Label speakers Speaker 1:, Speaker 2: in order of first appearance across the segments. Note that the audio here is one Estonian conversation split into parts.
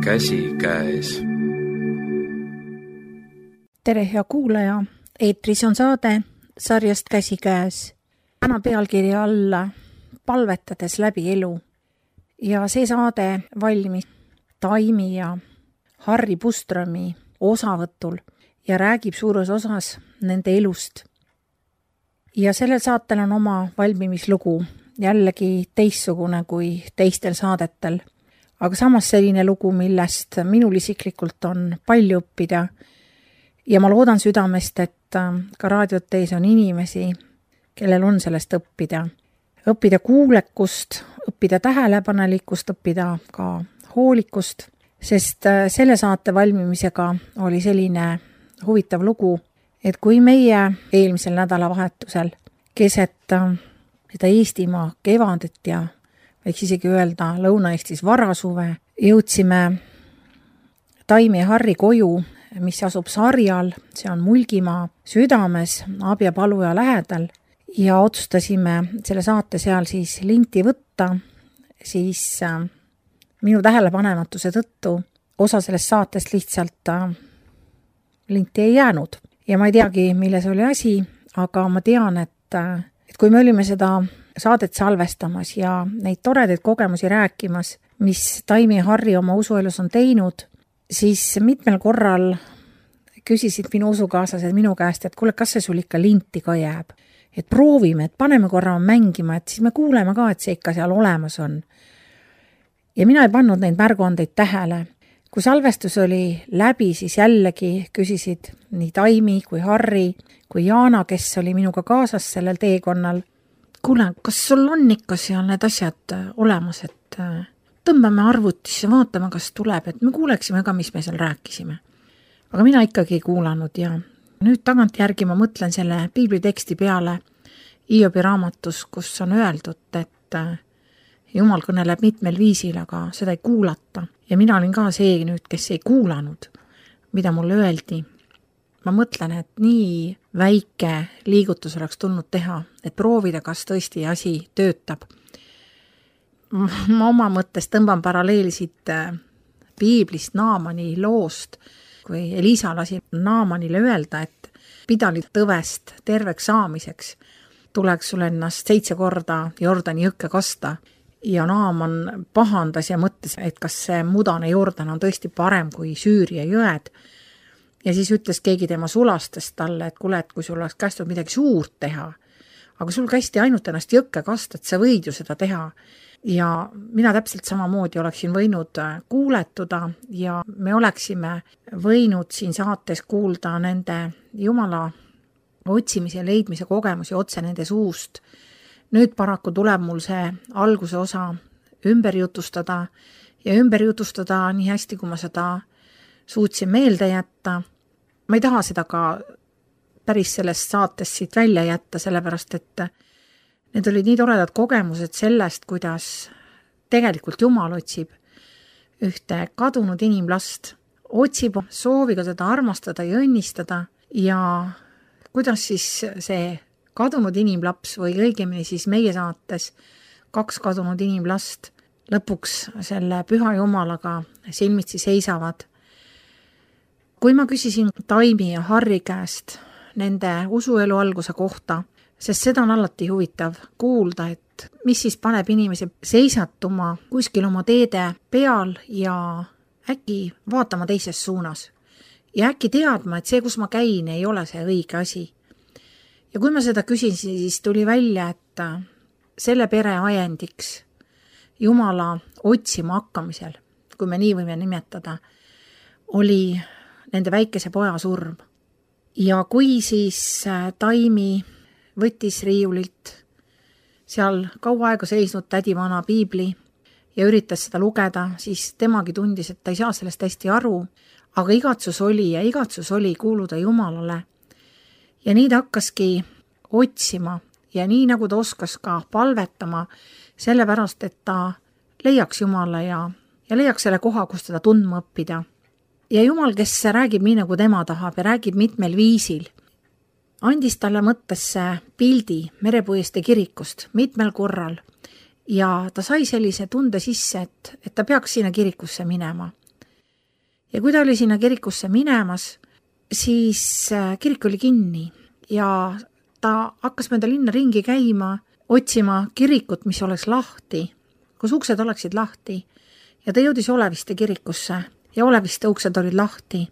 Speaker 1: käsikäes.
Speaker 2: Tere, hea kuulaja! Eetris on saade sarjast Käsikäes. Täna pealkirja alla palvetades läbi elu. Ja see saade valmis Taimi ja Harri Puströmi osavõtul ja räägib suures osas nende elust. Ja sellel saatel on oma valmimislugu, jällegi teistsugune kui teistel saadetel. Aga samas selline lugu, millest minul isiklikult on palju õppida. Ja ma loodan südamest, et ka raadiot teis on inimesi, kellel on sellest õppida. Õppida kuulekust, õppida tähelepanelikkust, õppida ka hoolikust, sest selle saate valmimisega oli selline huvitav lugu, et kui meie eelmisel nädalavahetusel keset seda Eestimaa kevandet ja võiks isegi öelda Lõuna-Eestis varasuve, jõudsime Taimi ja Harri koju, mis asub Sarjal, see on Mulgimaa südames, Abja Paluja lähedal, ja otsustasime selle saate seal siis linti võtta, siis minu tähelepanematuse tõttu osa sellest saatest lihtsalt linti ei jäänud. Ja ma ei teagi, milles oli asi, aga ma tean, et kui me olime seda saadet salvestamas ja neid toredaid kogemusi rääkimas, mis Taimi ja Harri oma usuelus on teinud, siis mitmel korral küsisid minu usukaaslased minu käest, et kuule, kas see sul ikka linti ka jääb? Et proovime, et paneme korra mängima, et siis me kuuleme ka, et see ikka seal olemas on. Ja mina ei pannud neid märguandeid tähele. Kui salvestus oli läbi, siis jällegi küsisid nii Taimi kui Harri kui Jaana, kes oli minuga kaasas sellel teekonnal. Kuule, kas sul on ikka seal need asjad olemas, et tõmbame arvutisse, vaatame, kas tuleb, et me kuuleksime ka, mis me seal rääkisime. Aga mina ikkagi ei kuulanud ja nüüd tagant järgi ma mõtlen selle piibliteksti peale Hiobi raamatus, kus on öeldud, et Jumal kõneleb mitmel viisil, aga seda ei kuulata. Ja mina olin ka see nüüd, kes ei kuulanud, mida mulle öeldi. Ma mõtlen, et nii väike liigutus oleks tulnud teha, et proovida, kas tõesti asi töötab. Ma oma mõttes tõmban paralleelisid piiblist Naamani loost, kui Elisa lasi Naamanile öelda, et pidali tõvest terveks saamiseks tuleks sul ennast 7 korda Jordani jõkke kasta. Ja Naaman pahandas ja mõtles, et kas see mudane Jordan on tõesti parem kui Süüria jõed. Ja siis ütles keegi tema sulastest talle, et kuule, et kui sul oleks kästud midagi suurt teha, aga sul kästi ainult ennast jõkke kasta, et sa võid ju seda teha. Ja mina täpselt samamoodi oleksin võinud kuuletuda ja me oleksime võinud siin saates kuulda nende Jumala otsimise ja leidmise kogemusi otse nende suust. Nüüd paraku tuleb mul see alguse osa ümber jutustada ja ümber jutustada nii hästi, kui ma seda suutsin meelde jätta. Ma ei taha seda ka päris sellest saatest siit välja jätta, sellepärast et need olid nii toredad kogemused sellest, kuidas tegelikult Jumal otsib ühte kadunud inimlast, otsib sooviga teda armastada ja õnnistada ja kuidas siis see kadunud inimlaps või õigemini siis meie saates 2 kadunud inimlast lõpuks selle püha Jumalaga silmitsi seisavad. Kui ma küsisin Taimi ja Harri käest nende usuelu alguse kohta, sest seda on alati huvitav kuulda, et mis siis paneb inimese seisatuma kuskil oma teede peal ja äkki vaatama teises suunas. Ja äkki teadma, et see, kus ma käin, ei ole see õige asi. Ja kui ma seda küsin, siis tuli välja, et selle pere ajendiks Jumala otsima hakkamisel, kui me nii võime nimetada, oli nende väikese poja surm. Ja kui siis Taimi võttis riiulilt seal kaua aega seisnud tädivana piibli ja üritas seda lugeda, siis temagi tundis, et ta ei saa sellest hästi aru, aga igatsus oli kuuluda Jumalale. Ja nii ta hakkaski otsima ja nii nagu ta oskas ka palvetama, sellepärast, et ta leiaks Jumala ja leiaks selle koha, kus teda tundma õppida. Ja Jumal, kes räägib nii, nagu tema tahab ja räägib mitmel viisil, andis talle mõttesse pildi Merepuiestee kirikust mitmel korral ja ta sai sellise tunde sisse, et ta peaks sinna kirikusse minema. Ja kui ta oli sinna kirikusse minemas, siis kirik oli kinni ja ta hakkas mööda linna ringi käima, otsima kirikut, mis oleks lahti, kus uksed oleksid lahti. Ja ta jõudis Oleviste kirikusse ja Oleviste uksed olid lahti.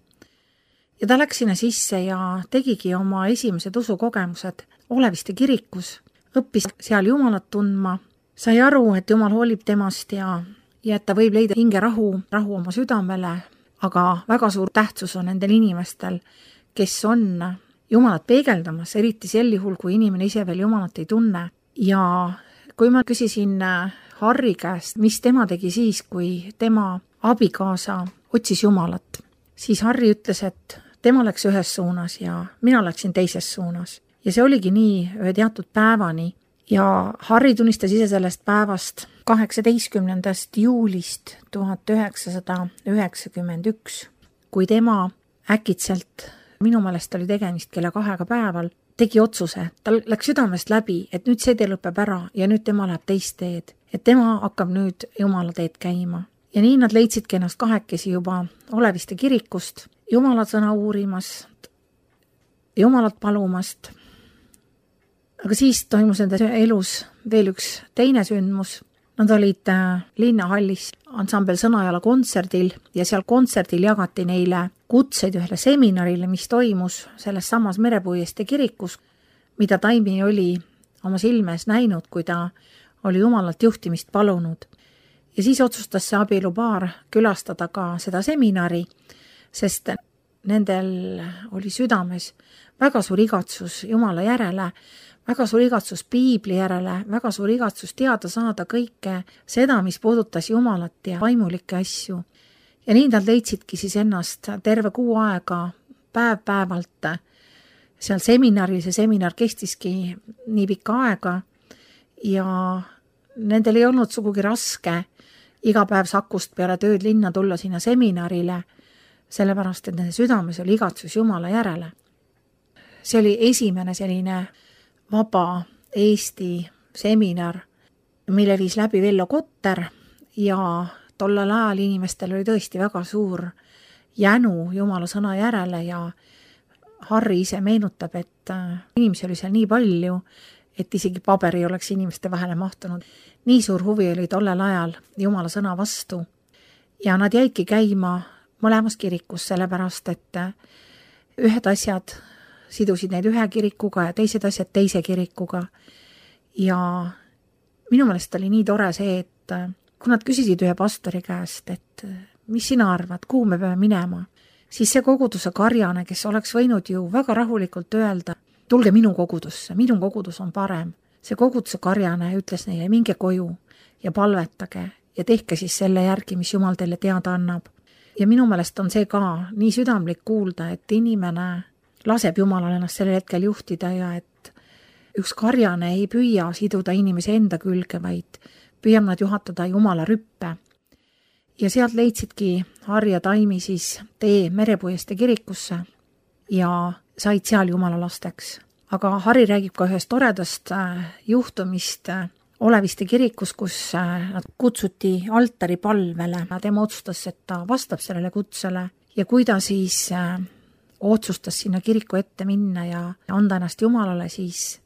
Speaker 2: Ja ta läks sinna sisse ja tegigi oma esimesed usukogemused Oleviste kirikus, õppis seal Jumalat tundma, sai aru, et Jumal hoolib temast ja et ta võib leida hingerahu, rahu oma südamele, aga väga suur tähtsus on nendel inimestel, kes on Jumalat peegeldamas, eriti sel juhul, kui inimene ise veel Jumalat ei tunne. Ja kui ma küsisin Harri käest, mis tema tegi siis, kui tema abikaasa otsis Jumalat, siis Harri ütles, et tema läks ühes suunas ja mina läksin teises suunas. Ja see oligi nii ühe teatud päevani. Ja Harri tunnistas ise sellest päevast 18. juulist 1991, kui tema äkitselt, minu meelest oli tegemist kella 2 päeval, tegi otsuse, tal läks südamest läbi, et nüüd see tee lõpeb ära ja nüüd tema läheb teist teed, et tema hakkab nüüd Jumala teed käima. Ja nii nad leidsidki ennast kahekesi juba Oleviste kirikust, Jumala sõna uurimast, Jumalat palumast. Aga siis toimus nende elus veel üks teine sündmus. Nad olid linnahallis ansambel Sõnajala kontserdil ja seal kontserdil jagati neile kutseid ühele seminarile, mis toimus selles samas Merepuiestee kirikus, mida Taimi oli oma silmes näinud, kui ta oli Jumalalt juhtimist palunud. Ja siis otsustas see abielupaar külastada ka seda seminari, sest nendel oli südames väga suur igatsus Jumala järele, väga suur igatsus piibli järele, väga suur igatsus teada saada kõike seda, mis puudutas Jumalat ja vaimulikke asju. Ja nii nad leidsidki siis ennast terve kuu aega päev-päevalt seal seminaril. See seminar kestiski nii pikka aega ja nendel ei olnud sugugi raske iga päev Sakust peale tööd linna tulla sinna seminarile, sellepärast, et nende südames oli igatsus Jumala järele. See oli esimene selline vaba Eesti seminar, mille viis läbi Vello Kotter ja tollel ajal inimestel oli tõesti väga suur jänu Jumala sõna järele ja Harri ise meenutab, et inimesi oli seal nii palju, et isegi paber ei oleks inimeste vahele mahtunud. Nii suur huvi oli tollel ajal Jumala sõna vastu ja nad jäidki käima mõlemas kirikus, sellepärast, et ühed asjad sidusid neid ühe kirikuga ja teised asjad teise kirikuga. Ja minu meelest oli nii tore see, et kui nad küsisid ühe pastori käest, et mis sina arvad, kuhu me peame minema, siis see koguduse karjane, kes oleks võinud ju väga rahulikult öelda, tulge minu kogudusse, minu kogudus on parem. See koguduse karjane ütles neile, minge koju ja palvetage ja tehke siis selle järgi, mis Jumal teile teada annab. Ja minu meelest on see ka nii südamlik kuulda, et inimene laseb Jumalal ennast sellel hetkel juhtida ja et üks karjane ei püüa siduda inimese enda külge, vaid püüab nad juhatada Jumala rüppe. Ja sealt leidsidki Harri ja Taimi siis tee Merepuiestee kirikusse ja said seal Jumala lasteks. Aga Harri räägib ka ühest toredast juhtumist Oleviste kirikus, kus nad kutsuti altari palvele. Tema otsustas, et ta vastab sellele kutsele ja kui ta siis otsustas sinna kiriku ette minna ja anda ennast Jumalale, siis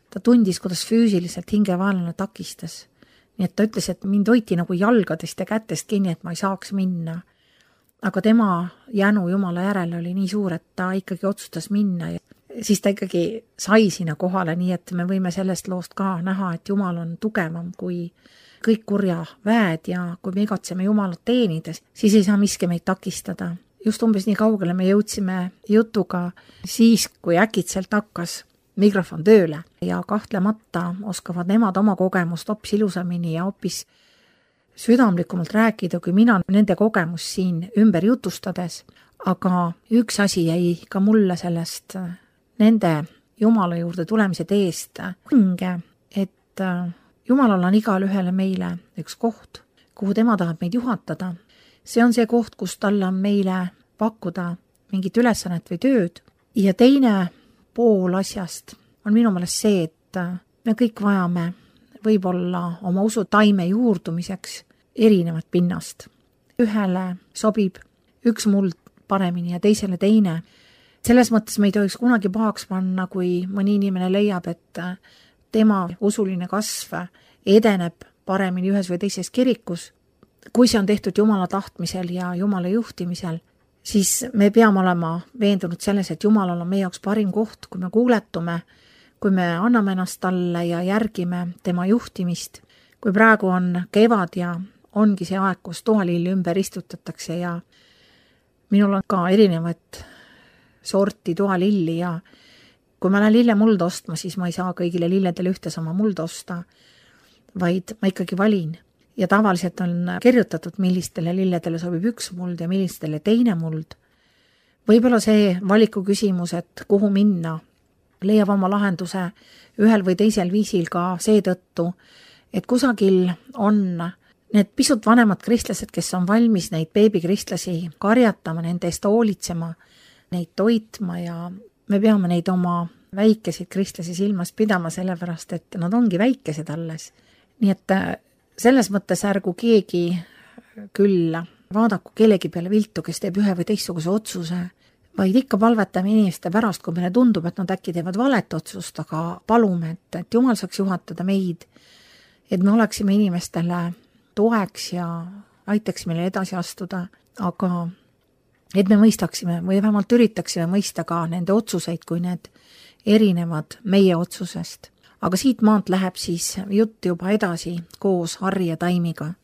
Speaker 2: ta tundis, kuidas füüsiliselt hingevaenlane takistas. Nii et ta ütles, et mind hoiti nagu jalgadest ja kätest kinni, et ma ei saaks minna. Aga tema jänu Jumala järele oli nii suur, et ta ikkagi otsustas minna ja siis ta ikkagi sai sinna kohale, nii et me võime sellest loost ka näha, et Jumal on tugevam kui kõik kurja väed ja kui me igatseme Jumalat teenides, siis ei saa miski meid takistada. Just umbes nii kaugele me jõudsime jutuga siis, kui äkitselt hakkas mikrofon tööle ja kahtlemata oskavad nemad oma kogemust hoopis ilusamini ja hoopis südamlikumalt rääkida, kui mina nende kogemus siin ümber jutustades. Aga üks asi jäi ka mulle sellest nende Jumala juurde tulemise teest hinge, et Jumalal on igal ühele meile üks koht, kuhu tema tahab meid juhatada. See on see koht, kus tal on meile pakkuda mingit ülesannet või tööd. Ja teine pool asjast on minu meelest see, et me kõik vajame võib-olla oma usu taime juurdumiseks erinevat pinnast. Ühele sobib üks muld paremini ja teisele teine. Selles mõttes me ei tohiks kunagi pahaks panna, kui mõni inimene leiab, et tema usuline kasv edeneb paremini ühes või teises kirikus. Kui see on tehtud Jumala tahtmisel ja Jumala juhtimisel, siis me peame olema veendunud selles, et Jumalal on meie jaoks parim koht, kui me kuuletume, kui me anname ennast talle ja järgime tema juhtimist. Kui praegu on kevad ja ongi see aeg, kus toalilli ümber istutatakse ja minul on ka erinevad sorti toalilli ja kui ma lähen lillemuld ostma, siis ma ei saa kõigile lilledele ühte sama muld osta, vaid ma ikkagi valin. Ja tavaliselt on kirjutatud, millistele lilledele sobib üks muld ja millistele teine muld. Võib-olla see valiku küsimus, et kuhu minna, leiab oma lahenduse ühel või teisel viisil ka seetõttu, et kusagil on need pisut vanemad kristlased, kes on valmis neid beebikristlasi karjatama, nende eest hoolitsema, neid toitma ja me peame neid oma väikeseid kristlasi silmas pidama, sellepärast, et nad ongi väikesed alles. Nii et selles mõttes ärgu keegi küll vaadaku kellegi peale viltu, kes teeb ühe või teistsuguse otsuse, vaid ikka palvetame inimeste pärast, kui meile tundub, et nad äkki teevad valet otsust, aga palume, et Jumal saaks juhatada meid, et me oleksime inimestele toeks ja aitaks meile edasi astuda, aga et me mõistaksime või vähemalt üritaksime mõista ka nende otsuseid, kui need erinevad meie otsusest. Aga siit maalt läheb siis jutt juba edasi koos Harri ja Taimiga.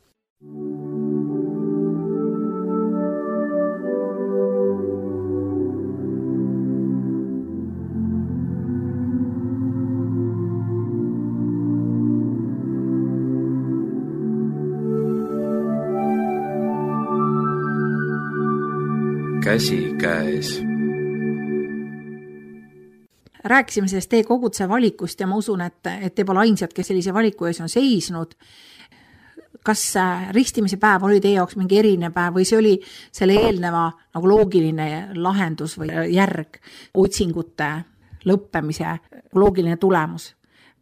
Speaker 1: Käsi käes.
Speaker 2: Rääkisime sellest tee koguduse valikust ja ma usun, et te pole ainsad, kes sellise valiku ees on seisnud. Kas ristimise päev oli teie jaoks mingi erinev päev või see oli selle eelneva nagu loogiline lahendus või järg otsingute lõppemise loogiline tulemus?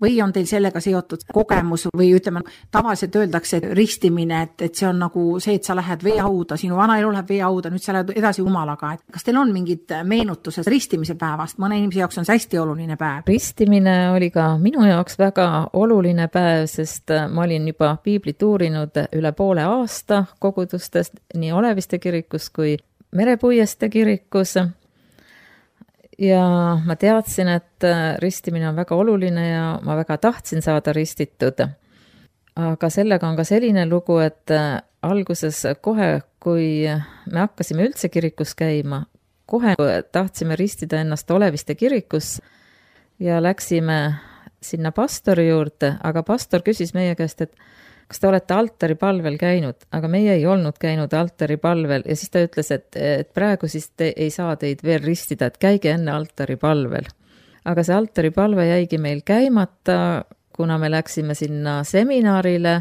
Speaker 2: Või on teil sellega seotud kogemus või ütleme, tavaliselt öeldakse, et ristimine, et see on nagu see, et sa lähed veehauda, sinu vana elu läheb veehauda, nüüd sa lähed edasi Jumalaga. Kas teil on mingid meenutused ristimise päevast? Mõne inimese jaoks on see hästi oluline päev.
Speaker 3: Ristimine oli ka minu jaoks väga oluline päev, sest ma olin juba piiblit uurinud üle poole aasta kogudustest, nii Oleviste kirikus kui Merepuieste kirikus. Ja ma teadsin, et ristimine on väga oluline ja ma väga tahtsin saada ristitud. Aga sellega on ka selline lugu, et alguses kohe, kui me hakkasime üldse kirikus käima, kohe tahtsime ristida ennast Oleviste kirikus ja läksime sinna pastori juurde, aga pastor küsis meie käest, et kas te olete altaripalvel käinud, aga meie ei olnud käinud altaripalvel ja siis ta ütles, et praegu siis te ei saa teid veel ristida, et käige enne altaripalvel. Aga see altaripalve jäigi meil käimata, kuna me läksime sinna seminarile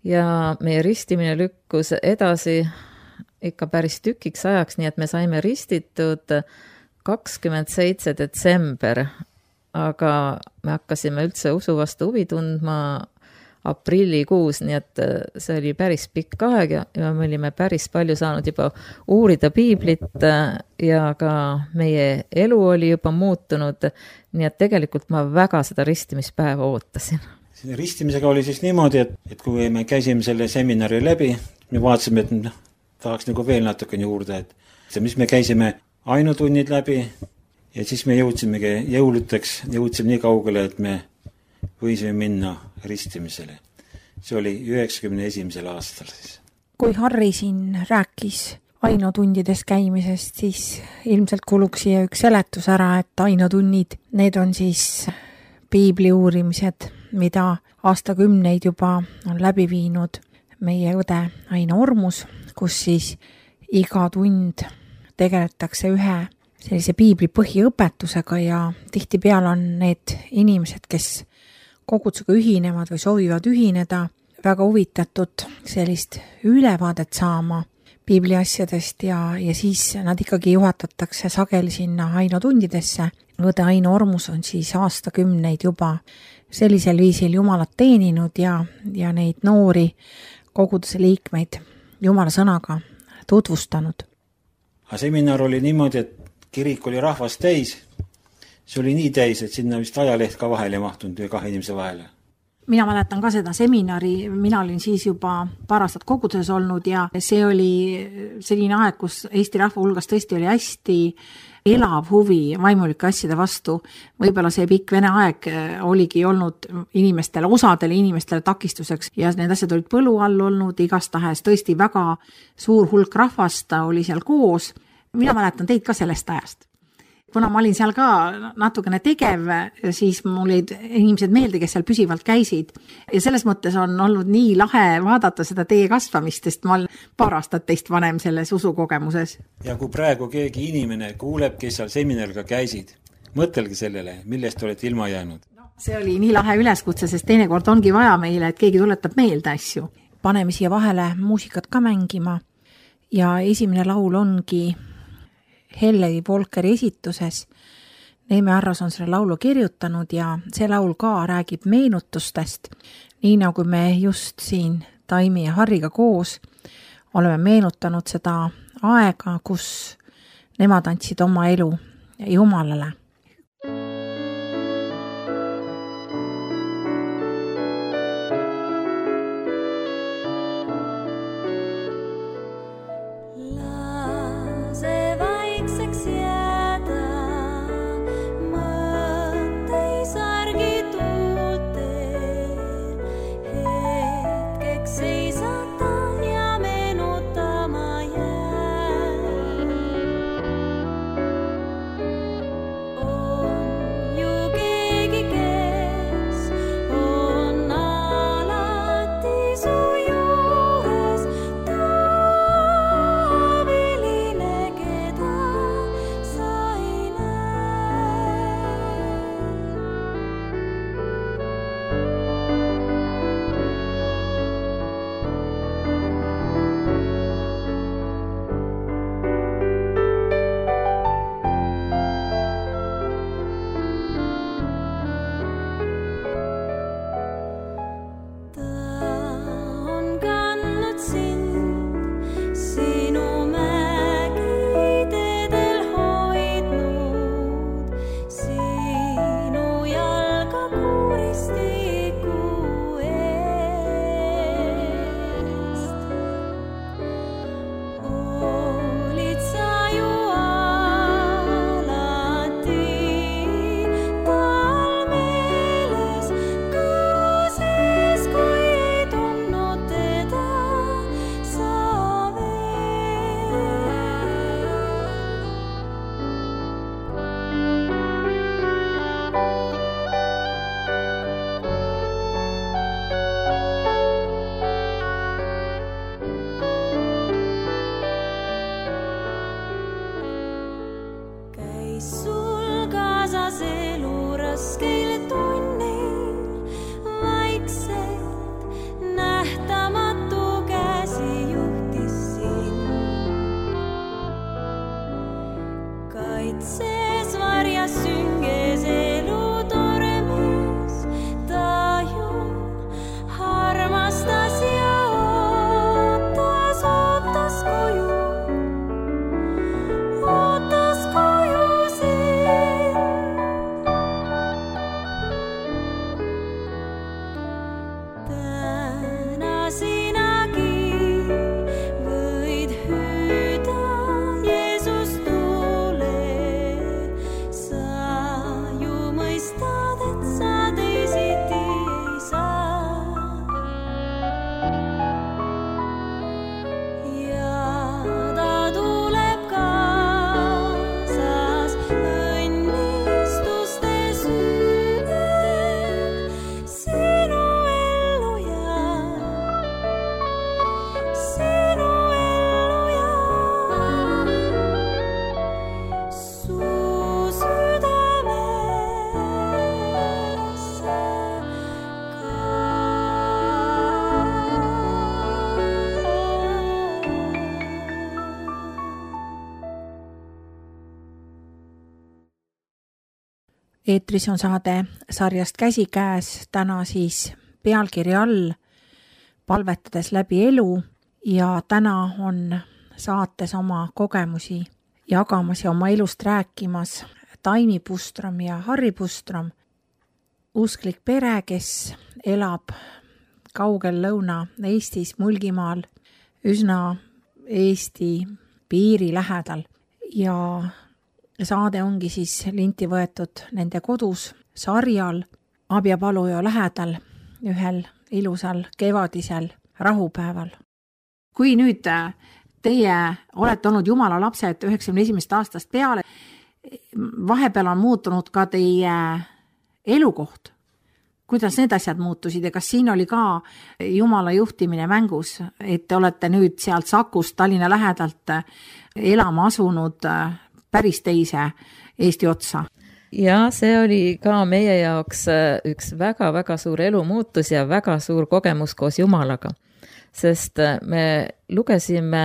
Speaker 3: ja meie ristimine lükkus edasi ikka päris tükiks ajaks, nii et me saime ristitud 27. detsember, aga me hakkasime üldse usu vastu huvi tundma aprillikuus, nii et see oli päris pikk aeg ja me olime päris palju saanud juba uurida piiblit ja ka meie elu oli juba muutunud, nii et tegelikult ma väga seda ristimispäeva ootasin.
Speaker 4: Selle ristimisega oli siis niimoodi, et kui me käisime selle seminari läbi, me vaatasime, et tahaks nagu veel natukene juurde, et mis me käisime ainutunnid läbi ja siis me jõudsimegi jõuluteks, jõudsime nii kaugele, et me võisime minna ristimisele. See oli 91. aastal siis.
Speaker 2: Kui Harri siin rääkis ainutundides käimisest, siis ilmselt kuluks siia üks seletus ära, et ainutunnid, need on siis piibli uurimised, mida aastakümneid juba on läbi viinud meie õde Aino Ormus, kus siis iga tund tegeletakse ühe sellise piibli põhiõpetusega ja tihtipeale on need inimesed, kes kogudusega ühinevad või soovivad ühineda, väga huvitatud sellist ülevaadet saama piibli asjadest ja siis nad ikkagi juhatatakse sageli sinna ainutundidesse. Õde Aino Ormus on siis aastakümneid juba sellisel viisil Jumalat teeninud ja neid noori koguduse liikmeid Jumala sõnaga tutvustanud.
Speaker 4: Aga seminar oli niimoodi, et kirik oli rahvast täis, see oli nii täis, et sinna vist ajaleht ka vahele ei mahtunud või 2 inimese vahele.
Speaker 2: Mina mäletan ka seda seminari, mina olin siis juba paar aastat koguduses olnud ja see oli selline aeg, kus Eesti rahva hulgas tõesti oli hästi elav huvi vaimulike asjade vastu. Võib-olla see pikk vene aeg oligi olnud inimestele, osadele inimestele takistuseks ja need asjad olid põlu all olnud, igastahes tõesti väga suur hulk rahvast oli seal koos. Mina mäletan teid ka sellest ajast. Kuna ma olin seal ka natukene tegev, siis mul olid inimesed meelde, kes seal püsivalt käisid. Ja selles mõttes on olnud nii lahe vaadata seda teie kasvamist, sest ma olen paar aastat teist vanem selles usukogemuses.
Speaker 4: Ja kui praegu keegi inimene kuuleb, kes seal seminariga käisid, mõtelge sellele, millest olete ilma jäänud.
Speaker 2: See oli nii lahe üleskutse, sest teinekord ongi vaja meile, et keegi tuletab meelde asju. Paneme siia vahele muusikat ka mängima ja esimene laul ongi Hellegi Volkeri esituses. Neeme Arras on selle laulu kirjutanud ja see laul ka räägib meenutustest. Nii nagu me just siin Taimi ja Harriga koos oleme meenutanud seda aega, kus nemad andsid oma elu Jumalale. Eetris on saade sarjast Käsikäes, täna siis pealkirja all palvetades läbi elu ja täna on saates oma kogemusi jagamas ja oma elust rääkimas Taimi Pustrom ja Harri Pustrom, usklik pere, kes elab kaugel Lõuna-Eestis, Mulgimaal, üsna Eesti piiri lähedal ja saade ongi siis linti võetud nende kodus sarjal Abjapaluja lähedal ühel ilusal kevadisel rahupäeval. Kui nüüd teie olete olnud Jumala lapsed 91. aastast peale, vahepeal on muutunud ka teie elukoht. Kuidas need asjad muutusid ja kas siin oli ka Jumala juhtimine mängus, et te olete nüüd sealt Sakust Tallinna lähedalt elama asunud päris teise Eesti otsa?
Speaker 3: Ja see oli ka meie jaoks üks väga-väga suur elumuutus ja väga suur kogemus koos Jumalaga. Sest me lugesime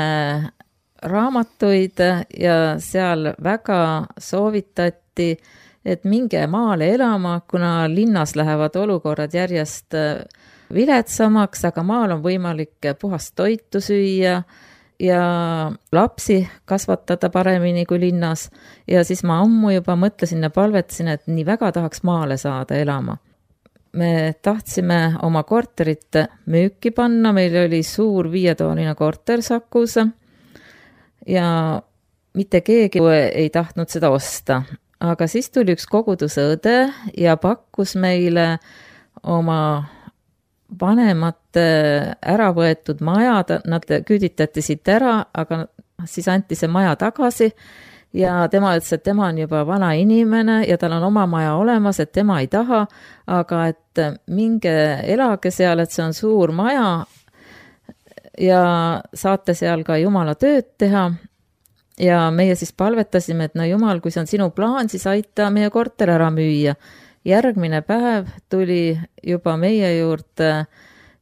Speaker 3: raamatuid ja seal väga soovitati, et minge maale elama, kuna linnas lähevad olukorrad järjest viletsamaks, aga maal on võimalik puhast toitu süüa ja lapsi kasvatada paremini kui linnas. Ja siis ma ammu juba mõtlesin ja palvetasin, et nii väga tahaks maale saada elama. Me tahtsime oma korterit müüki panna, meil oli suur 5-toaline korter Sakus ja mitte keegi ei tahtnud seda osta. Aga siis tuli üks koguduse õde ja pakkus meile oma vanemate ära võetud maja, nad küüditati siit ära, aga siis anti see maja tagasi ja tema ütles, et tema on juba vana inimene ja tal on oma maja olemas, et tema ei taha, aga et minge elage seal, et see on suur maja ja saate seal ka Jumala tööd teha. Ja meie siis palvetasime, et no Jumal, kui see on sinu plaan, siis aita meie korter ära müüa. Järgmine päev tuli juba meie juurde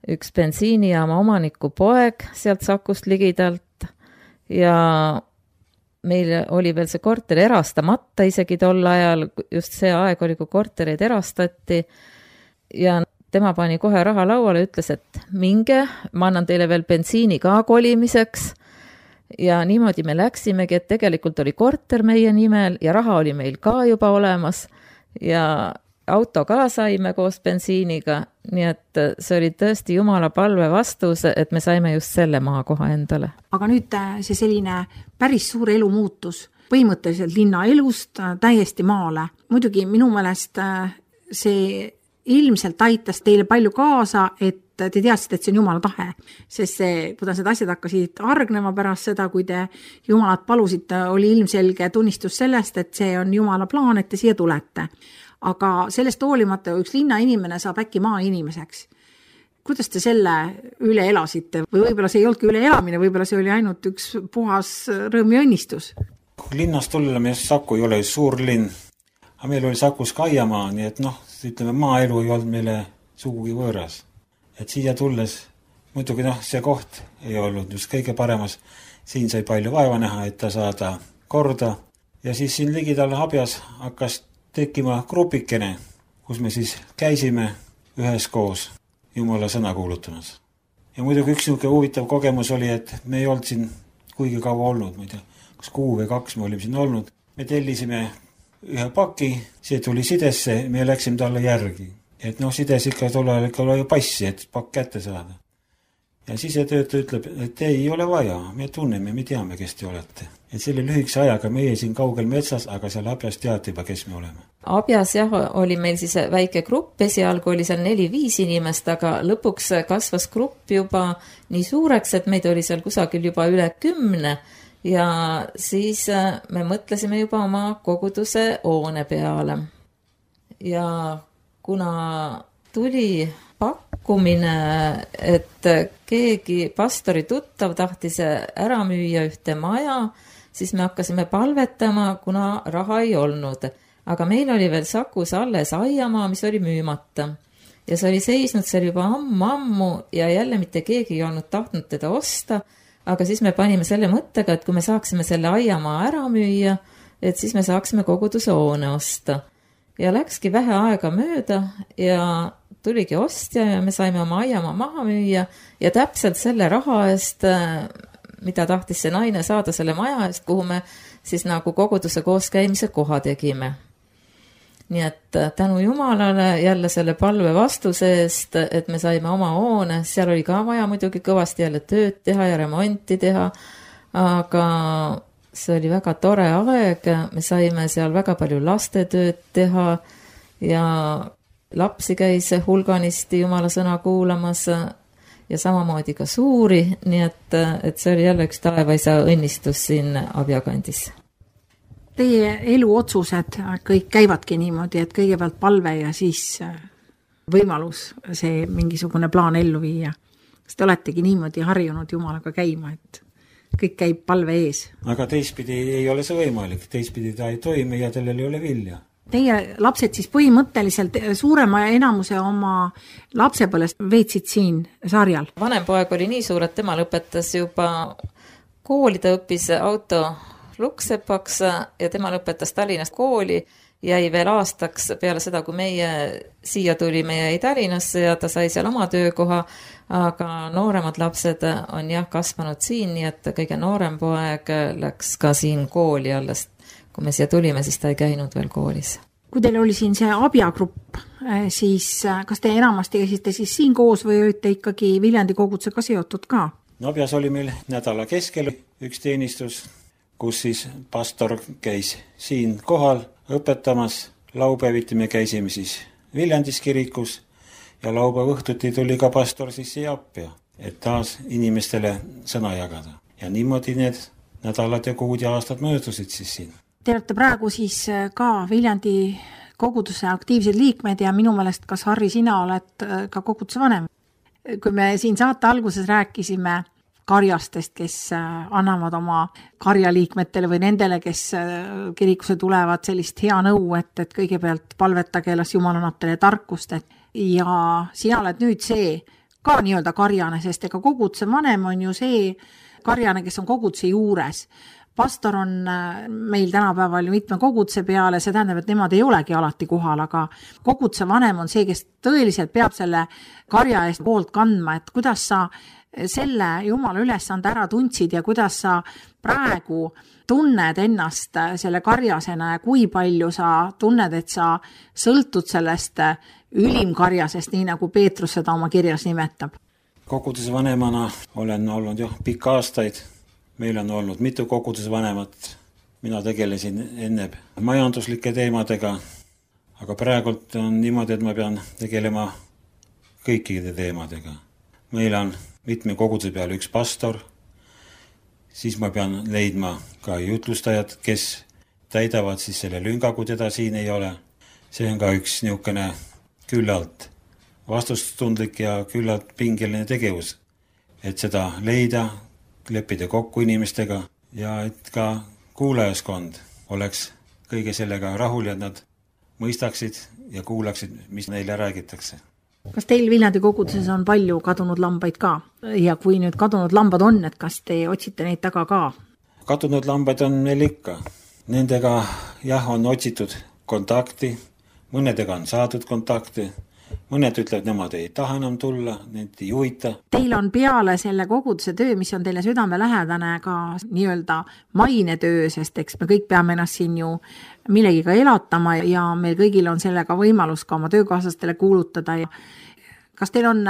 Speaker 3: üks bensiinijaama omaniku poeg sealt Sakust ligidalt ja meil oli veel see korter erastamata isegi tol ajal, just see aeg oli, kui kortereid erastati ja tema pani kohe raha lauale ja ütles, et minge, ma annan teile veel bensiini ka kolimiseks. Ja niimoodi me läksimegi, et tegelikult oli korter meie nimel ja raha oli meil ka juba olemas ja auto ka saime koos bensiiniga, nii et see oli tõesti Jumala palve vastus, et me saime just selle maakoha endale.
Speaker 2: Aga nüüd see selline päris suur elumuutus, põhimõtteliselt linna elust täiesti maale. Muidugi minu meelest see ilmselt aitas teile palju kaasa, et te teadsite, et see on Jumala tahe, sest see, kuidas need asjad hakkasid argnema pärast seda, kui te Jumalat palusite, oli ilmselge tunnistus sellest, et see on Jumala plaan, et te siia tulete. Aga sellest hoolimata üks linna inimene saab äkki maa inimeseks. Kuidas te selle üle elasite? Või võib-olla see ei olnudki üle elamine, võib-olla see oli ainult üks puhas rõõm ja õnnistus?
Speaker 4: Linnas tulleme, Saku ei ole suur linn, aga meil oli Sakus Kaiamaa, nii et ütleme, maaelu ei olnud meile sugugi võõras. Et siia tulles, muidugi see koht ei olnud just kõige paremas, siin sai palju vaeva näha, et ta saada korda ja siis siin ligidal Abjas hakkas tekkima grupikene, kus me siis käisime üheskoos Jumala sõna kuulutamas. Ja muidugi üks niisugune huvitav kogemus oli, et me ei olnud siin kuigi kaua olnud, ma ei tea, kas 6 või 2 me olime siin olnud. Me tellisime ühe paki, see tuli sidesse, me läksime talle järgi. Et sides ikka tollal oli passi, et pakk kätte saada. Ja sisetöötaja ütleb, et ei ole vaja, me tunneme, me teame, kes te olete. Et selle lühikese ajaga meie siin kaugel metsas, aga seal Abjas teati juba, kes me oleme.
Speaker 3: Abjas oli meil siis väike grupp, esialgu oli seal 4-5 inimest, aga lõpuks kasvas grupp juba nii suureks, et meid oli seal kusagil juba üle 10 ja siis me mõtlesime juba oma koguduse hoone peale. Ja kuna tuli pakkumine, et keegi pastori tuttav tahtis ära müüa ühte maja, siis me hakkasime palvetama, kuna raha ei olnud. Aga meil oli veel Sakus alles aiamaa, mis oli müümata. Ja see oli seisnud seal juba ammu ja jälle mitte keegi ei olnud tahtnud teda osta, aga siis me panime selle mõttega, et kui me saaksime selle aiamaa ära müüa, et siis me saaksime koguduse hoone osta. Ja läkski vähe aega mööda ja tuligi ostja ja me saime oma aiamaa maha müüa ja täpselt selle raha eest, mida tahtis see naine saada selle maja eest, kuhu me siis nagu koguduse kooskäimise koha tegime. Nii et tänu Jumalale jälle selle palve vastuse eest, et me saime oma hoone, seal oli ka vaja muidugi kõvasti jälle tööd teha ja remonti teha, aga see oli väga tore aeg, me saime seal väga palju lastetööd teha ja lapsi käis hulganisti Jumala sõna kuulamas ja samamoodi ka suuri, nii et see oli jälle üks taevaisa õnnistus siin Abjakandis.
Speaker 2: Teie eluotsused kõik käivadki niimoodi, et kõigepealt palve ja siis võimalus see mingisugune plaan ellu viia. Kas te oletegi niimoodi harjunud Jumalaga käima, et kõik käib palve ees?
Speaker 4: Aga teistpidi ei ole see võimalik, teistpidi ta ei toimi ja sellel ei ole vilja.
Speaker 2: Teie lapsed siis põhimõtteliselt suurema enamuse oma lapsepõlest veetsid siin Sarjal?
Speaker 3: Vanem poeg oli nii suur, et tema lõpetas juba kooli, ta õppis auto luksepaks ja tema lõpetas Tallinnast kooli, jäi veel aastaks peale seda, kui meie siia tulime, jäi Tallinnasse ja ta sai seal oma töökoha, aga nooremad lapsed on kasvanud siin, nii et kõige noorem poeg läks ka siin kooli alles. Kui me siia tulime, siis ta ei käinud veel koolis.
Speaker 2: Kui teil oli siin see Abjagrupp, siis kas te enamasti käisite siis siin koos või olite ikkagi Viljandi kogudusega seotud ka?
Speaker 4: Abjas oli meil nädala keskel üks teenistus, kus siis pastor käis siin kohal õpetamas. Laupäeviti me käisime siis Viljandis kirikus ja laupäeva õhtuti tuli ka pastor siis siia appi, et taas inimestele sõna jagada. Ja niimoodi need nädalad ja kuud ja aastad möödusid siis siin.
Speaker 2: Te olete praegu siis ka Viljandi koguduse aktiivsed liikmed ja minu meelest kas Harri, sina oled ka koguduse vanem. Kui me siin saate alguses rääkisime karjastest, kes annavad oma karjaliikmetele või nendele, kes kirikusse tulevad sellist hea nõu, et kõigepealt palvetage, las Jumal annab teile tarkust. Ja sina oled nüüd see ka nii-öelda karjane, sest ega koguduse vanem on ju see karjane, kes on koguduse juures. Pastor on meil tänapäeval ju mitme koguduse peale, see tähendab, et nemad ei olegi alati kohal, aga koguduse vanem on see, kes tõeliselt peab selle karja eest poolt kandma, et kuidas sa selle Jumala ülesande ära tundsid ja kuidas sa praegu tunned ennast selle karjasena ja kui palju sa tunned, et sa sõltud sellest ülimkarjasest, nii nagu Peetrus seda oma kirjas nimetab.
Speaker 4: Koguduse vanemana olen olnud pikka aastaid. Meil on olnud mitu koguduse vanemat. Mina tegelesin enne majanduslike teemadega, aga praegult on niimoodi, et ma pean tegelema kõikide teemadega. Meil on mitme koguduse peale üks pastor, siis ma pean leidma ka jutlustajad, kes täidavad siis selle lünga, kui teda siin ei ole. See on ka üks niisugune küllalt vastustundlik ja küllalt pingeline tegevus, et seda leida, leppida kokku inimestega ja et ka kuulajaskond oleks kõige sellega rahul ja nad mõistaksid ja kuulaksid, mis neile räägitakse.
Speaker 2: Kas teil Viljandi koguduses on palju kadunud lambaid ka? Ja kui nüüd kadunud lambad on, et kas te otsite neid taga ka?
Speaker 4: Kadunud lambaid on meil ikka. Nendega on otsitud kontakti, mõnedega on saadud kontakti. Mõned ütlevad, nemad ei taha enam tulla, need ei juhita.
Speaker 2: Teil on peale selle koguduse töö, mis on teile südamelähedane, ka nii-öelda mainetöö, sest eks me kõik peame ennast siin ju millegiga elatama ja meil kõigil on sellega võimalus ka oma töökaaslastele kuulutada. Kas teil on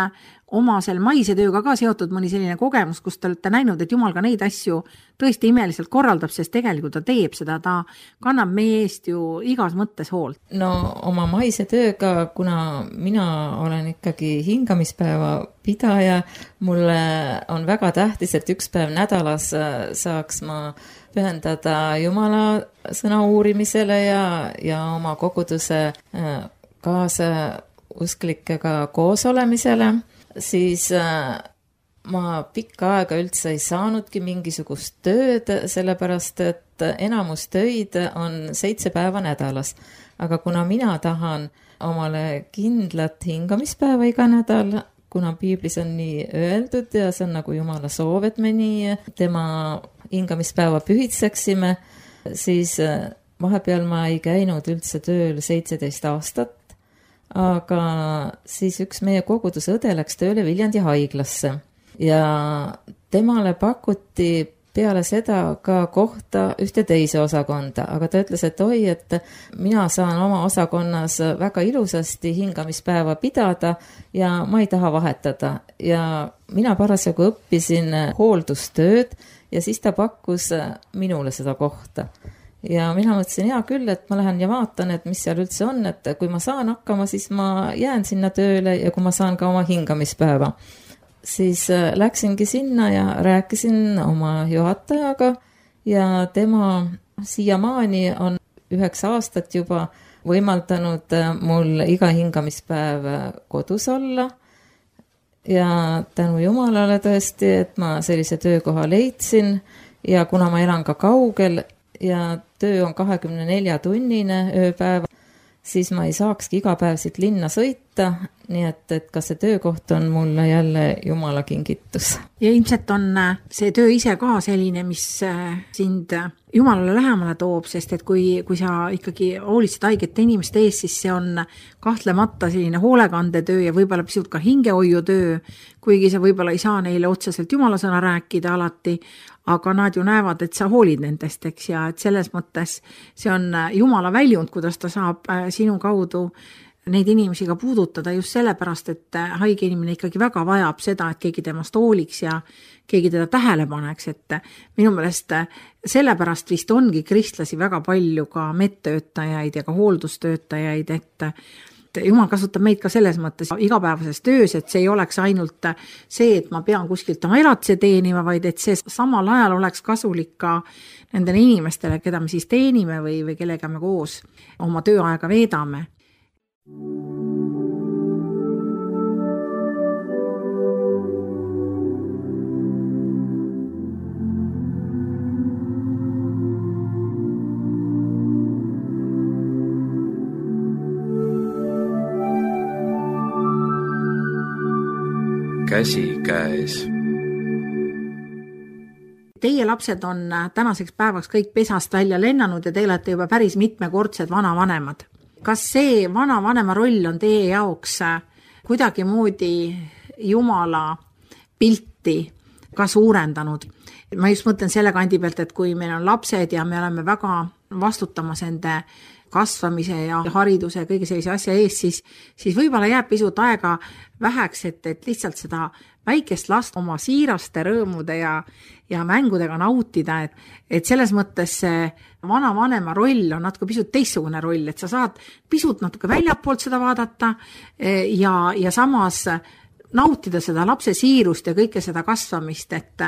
Speaker 2: oma selle maise tööga ka seotud mõni selline kogemus, kus te olete näinud, et Jumal ka neid asju tõesti imeliselt korraldab, sest tegelikult ta teeb seda, ta kannab meie eest ju igas mõttes hoolt?
Speaker 3: No oma maise tööga, kuna mina olen ikkagi hingamispäeva pidaja, mulle on väga tähtis, et üks päev nädalas saaks ma pühendada Jumala sõna uurimisele ja oma koguduse kaasausklikega koos olemisele, siis ma pikka aega üldse ei saanudki mingisugust tööd, sellepärast et enamus töid on 7 päeva nädalas. Aga kuna mina tahan omale kindlat hingamispäeva iga nädal, kuna piiblis on nii öeldud ja see on nagu Jumala soov, et me nii tema hingamispäeva pühitseksime, siis vahepeal ma ei käinud üldse tööl 17 aastat. Aga siis üks meie koguduse õde läks tööle Viljandi haiglasse ja temale pakuti peale seda ka kohta ühte teise osakonda, aga ta ütles, et oi, et mina saan oma osakonnas väga ilusasti hingamispäeva pidada ja ma ei taha vahetada. Ja mina parasjagu õppisin hooldustööd ja siis ta pakkus minule seda kohta. Ja mina mõtlesin, hea küll, et ma lähen ja vaatan, et mis seal üldse on, et kui ma saan hakkama, siis ma jään sinna tööle ja kui ma saan ka oma hingamispäeva. Siis läksingi sinna ja rääkisin oma juhatajaga ja tema siiamaani on 9 aastat juba võimaldanud mul iga hingamispäev kodus olla. Ja tänu Jumalale tõesti, et ma sellise töökoha leidsin ja kuna ma elan ka kaugel ja töö on 24-tunnine ööpäev, siis ma ei saakski iga päev siit linna sõita, nii et ka see töökoht on mulle jälle Jumala kingitus.
Speaker 2: Ja ilmselt on see töö ise ka selline, mis sind Jumalale lähemale toob, sest et kui sa ikkagi hoolitsed haigete inimeste ees, siis see on kahtlemata selline hoolekandetöö ja võib-olla pisut ka hingehoiutöö, kuigi sa võib-olla ei saa neile otseselt Jumala sõna rääkida alati, aga nad ju näevad, et sa hoolid nendest, eks, ja et selles mõttes see on Jumala väljund, kuidas ta saab sinu kaudu neid inimesi ka puudutada just sellepärast, et haige inimene ikkagi väga vajab seda, et keegi temast hooliks ja keegi teda tähele paneks, et minu meelest sellepärast vist ongi kristlasi väga palju ka medtöötajaid ja ka hooldustöötajaid, et Jumal kasutab meid ka selles mõttes igapäevases töös, et see ei oleks ainult see, et ma pean kuskilt oma elatise teenima, vaid et see samal ajal oleks kasulik ka nendele inimestele, keda me siis teenime või kellega me koos oma tööaega veedame.
Speaker 1: Käsi käes.
Speaker 2: Teie lapsed on tänaseks päevaks kõik pesast välja lennanud ja te olete juba päris mitmekordsed vanavanemad. Kas see vanavanema roll on teie jaoks kuidagi moodi Jumala pilti ka suurendanud? Ma just mõtlen selle kandi pealt, et kui meil on lapsed ja me oleme väga vastutamas ende kasvamise ja hariduse ja kõige sellise asja ees, siis võib-olla jääb pisut aega väheks, et lihtsalt seda väikest last oma siiraste rõõmude ja mängudega nautida, et selles mõttes see vanavanema roll on natuke pisut teistsugune roll, et sa saad pisut natuke väljapoolt seda vaadata ja samas nautida seda lapse siirust ja kõike seda kasvamist, et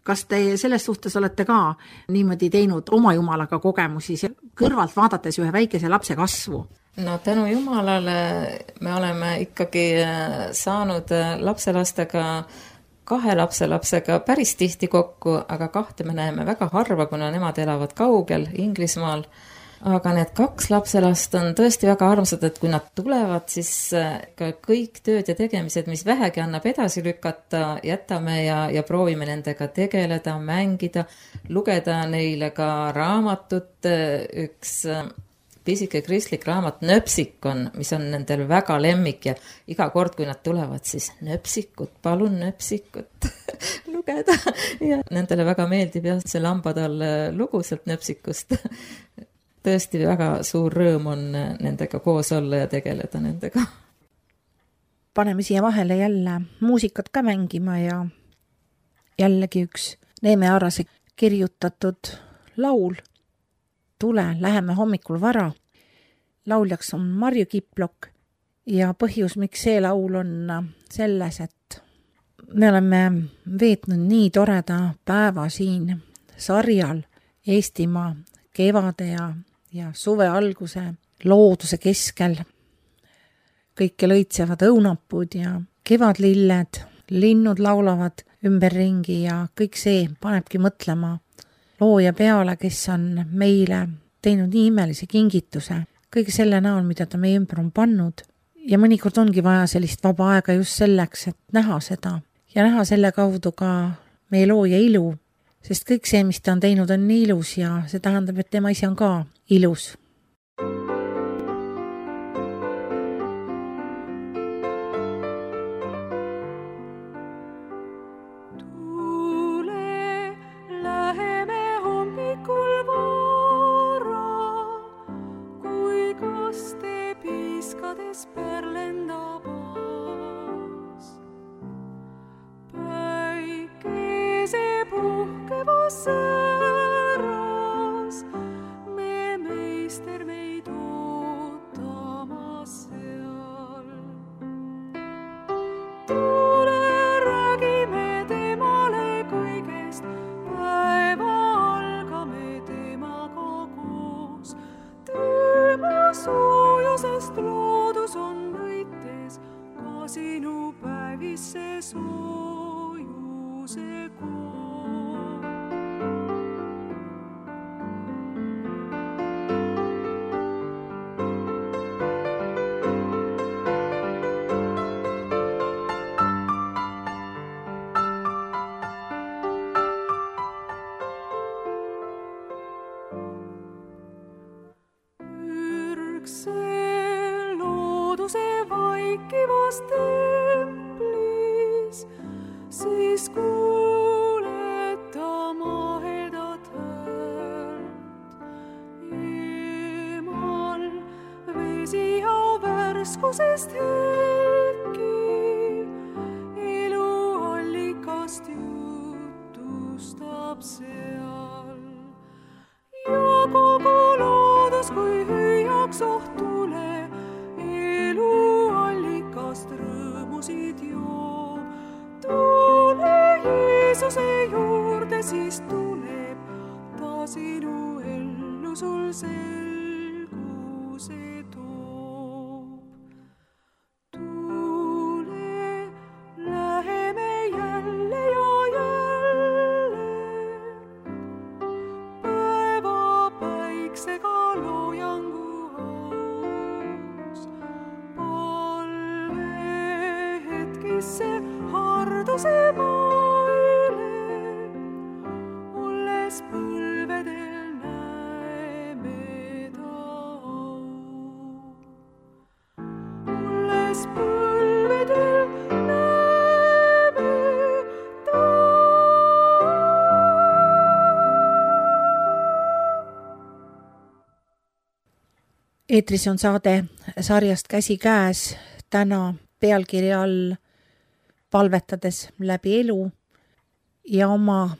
Speaker 2: kas te selles suhtes olete ka niimoodi teinud oma Jumalaga kogemusi kõrvalt vaadates ühe väikese lapse kasvu?
Speaker 3: No tänu Jumalale me oleme ikkagi saanud lapselastega 2 lapselapsega päris tihti kokku, aga 2 me näeme väga harva, kuna nemad elavad kaugel Inglismaal. Aga need 2 lapselast on tõesti väga armsad, et kui nad tulevad, siis ka kõik tööd ja tegemised, mis vähegi annab edasi lükata, jätame ja proovime nendega tegeleda, mängida, lugeda neile ka raamatut. Üks pisike kristlik raamat Nöpsikon, mis on nendel väga lemmik ja iga kord, kui nad tulevad, siis nöpsikut, palun nöpsikut lugeda. Ja nendele väga meeldib jah, see Lampadal lugu sealt Nöpsikust. Tõesti väga suur rõõm on nendega koos olla ja tegeleda nendega.
Speaker 2: Paneme siia vahele jälle muusikat ka mängima ja jällegi üks Neeme Arase kirjutatud laul. Tule, läheme hommikul vara. Lauljaks on Marju Kiplok ja põhjus, miks see laul on selles, et me oleme veetnud nii toreda päeva siin sarjal Eestimaa kevade ja suve alguse looduse keskel. Kõike lõitsevad õunapud ja kevadlilled, linnud laulavad ümberringi ja kõik see panebki mõtlema looja peale, kes on meile teinud nii imelise kingituse kõige selle näol, mida ta meie ümber on pannud. Ja mõnikord ongi vaja sellist vaba aega just selleks, et näha seda ja näha selle kaudu ka meie looja ilu. Sest kõik see, mis ta on teinud, on nii ilus ja see tähendab, et tema ise on ka ilus.
Speaker 5: Tule, puhkevas säras, me meister meid ootamas seal. Tule räägime temale kõigest, päeva algame temaga koos. Tema soojusest loodus on võites, ka sinu päevisse soojuse koos. Looduse vaikivas templis, siis kuuled ta mahedat häält. Eemal vesihau värskusest hetki, eluallikast jutustab seal. Ja kogu loodus, kui hüüaks ohtule, eluallikast rõõmusid joo. Tule Jeesuse juurde, siis tuleb ta sinu ellu sul selguse toob. Tule, läheme jälle ja jälle, päeva päiksega loojangu aus. Palve hetkisse harduse maile, olles põlvedel näeme ta au. Olles põlvedel näeme ta au.
Speaker 2: Eetris on saade sarjast Käsi käes, täna pealkirja all palvetades läbi elu, ja oma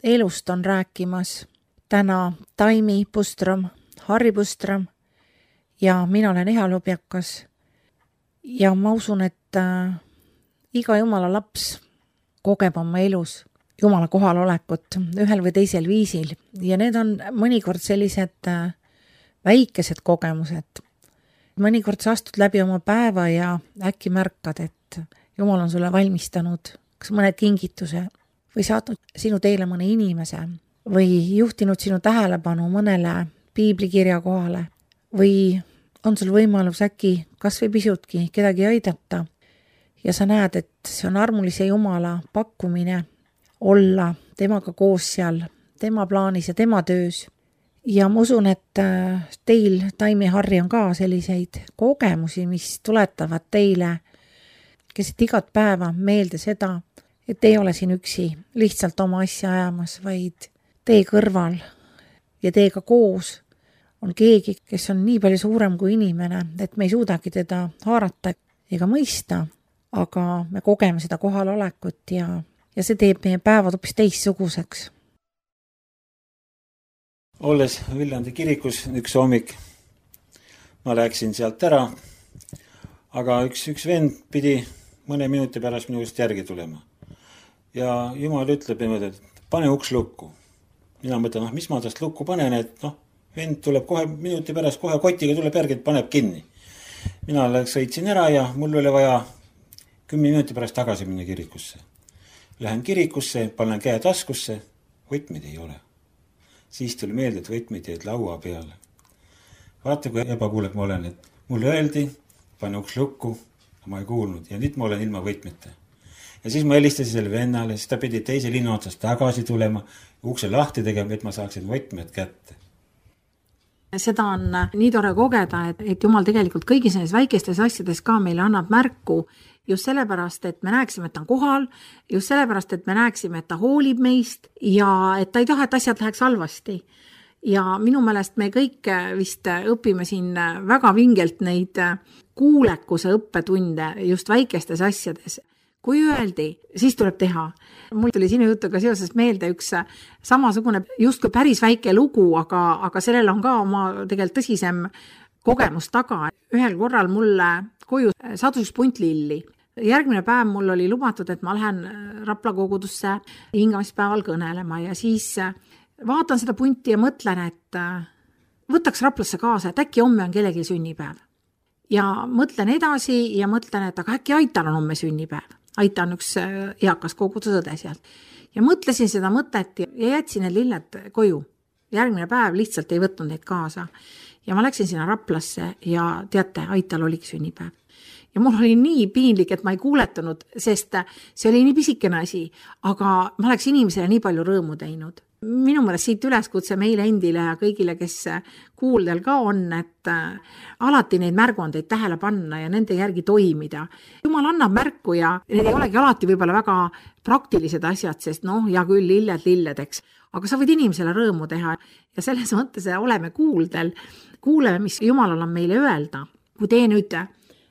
Speaker 2: elust on rääkimas täna Taimi Pustrom, Harri Pustrom ja mina olen Eha Lubjakas. Ja ma usun, et iga Jumala laps kogeb oma elus Jumala kohalolekut ühel või teisel viisil ja need on mõnikord sellised väikesed kogemused. Mõnikord sa astud läbi oma päeva ja äkki märkad, et Jumal on sulle valmistanud kas mõne kingituse või saatnud sinu teele mõne inimese või juhtinud sinu tähelepanu mõnele piiblikirja kohale või on sul võimalus äkki kas või pisutki kedagi aidata ja sa näed, et see on armulise Jumala pakkumine olla temaga koos seal, tema plaanis ja tema töös. Ja ma usun, et teil, Taimi, Harri, on ka selliseid kogemusi, mis tuletavad teile keset igat päeva meelde seda, et ei ole siin üksi lihtsalt oma asja ajamas, vaid tee kõrval ja teega koos on keegi, kes on nii palju suurem kui inimene, et me ei suudagi teda haarata ega mõista, aga me kogeme seda kohalolekut ja see teeb meie päevad hoopis teistsuguseks.
Speaker 4: Olles Viljandi kirikus üks hommik, ma läksin sealt ära, aga üks vend pidi mõne minuti pärast minust järgi tulema. Ja Jumal ütleb niimoodi, et pane uks lukku. Mina mõtlen, mis ma tast lukku panen, et vend tuleb kohe minuti pärast, kohe kotiga tuleb järgi, et paneb kinni. Mina sõitsin ära ja mul oli vaja 10 minuti pärast tagasi minna kirikusse. Lähen kirikusse, panen käe taskusse, võtmeid ei ole. Siis tuli meelde, et võtmeid jäid laua peale. Vaata, kui ebakuulek ma olen, et mulle öeldi, pane uks lukku, ma ei kuulnud ja nüüd ma olen ilma võtmete. Ja siis ma helistasin selle vennale, siis ta pidi teise linna otsast tagasi tulema, ukse lahti tegema, et ma saaksin võtmed kätte.
Speaker 2: Seda on nii tore kogeda, et Jumal tegelikult kõigis nendes väikestes asjades ka meile annab märku just sellepärast, et me näeksime, et ta on kohal, just sellepärast, et me näeksime, et ta hoolib meist ja et ta ei taha, et asjad läheks halvasti. Ja minu meelest me kõik vist õpime siin väga vingelt neid kuulekuse õppetunde just väikestes asjades. kui öeldi, siis tuleb teha. Mul tuli sinu jutuga seoses meelde üks samasugune justkui päris väike lugu, aga sellel on ka oma tegelikult tõsisem kogemus taga. Ühel korral mulle koju sadus punt lilli. Järgmine päev mul oli lubatud, et ma lähen Rapla kogudusse hingamispäeval kõnelema ja siis vaatan seda punti ja mõtlen, et võtaks Raplasse kaasa, et äkki homme on kellegi sünnipäev. Ja mõtlen edasi ja mõtlen, et aga äkki Aital on homme sünnipäev. Aita on üks eakas kogudusõde sealt. Ja mõtlesin seda mõtet ja jätsin need lilled koju. Järgmine päev lihtsalt ei võtnud neid kaasa. Ja ma läksin sinna Raplasse ja teate, Aital oligi sünnipäev. Ja mul oli nii piinlik, et ma ei kuuletanud, sest see oli nii pisikene asi, aga ma oleks inimesele nii palju rõõmu teinud. Minu mõelest siit üleskutse meile endile ja kõigile, kes kuuldel ka on, et alati neid märguandeid tähele panna ja nende järgi toimida. Jumal annab märku ja need ei olegi alati võib-olla väga praktilised asjad, sest ja küll lilledeks, aga sa võid inimesele rõõmu teha ja selles mõttes oleme kuuldel, kuuleme, mis Jumalal on meile öelda. Kui te nüüd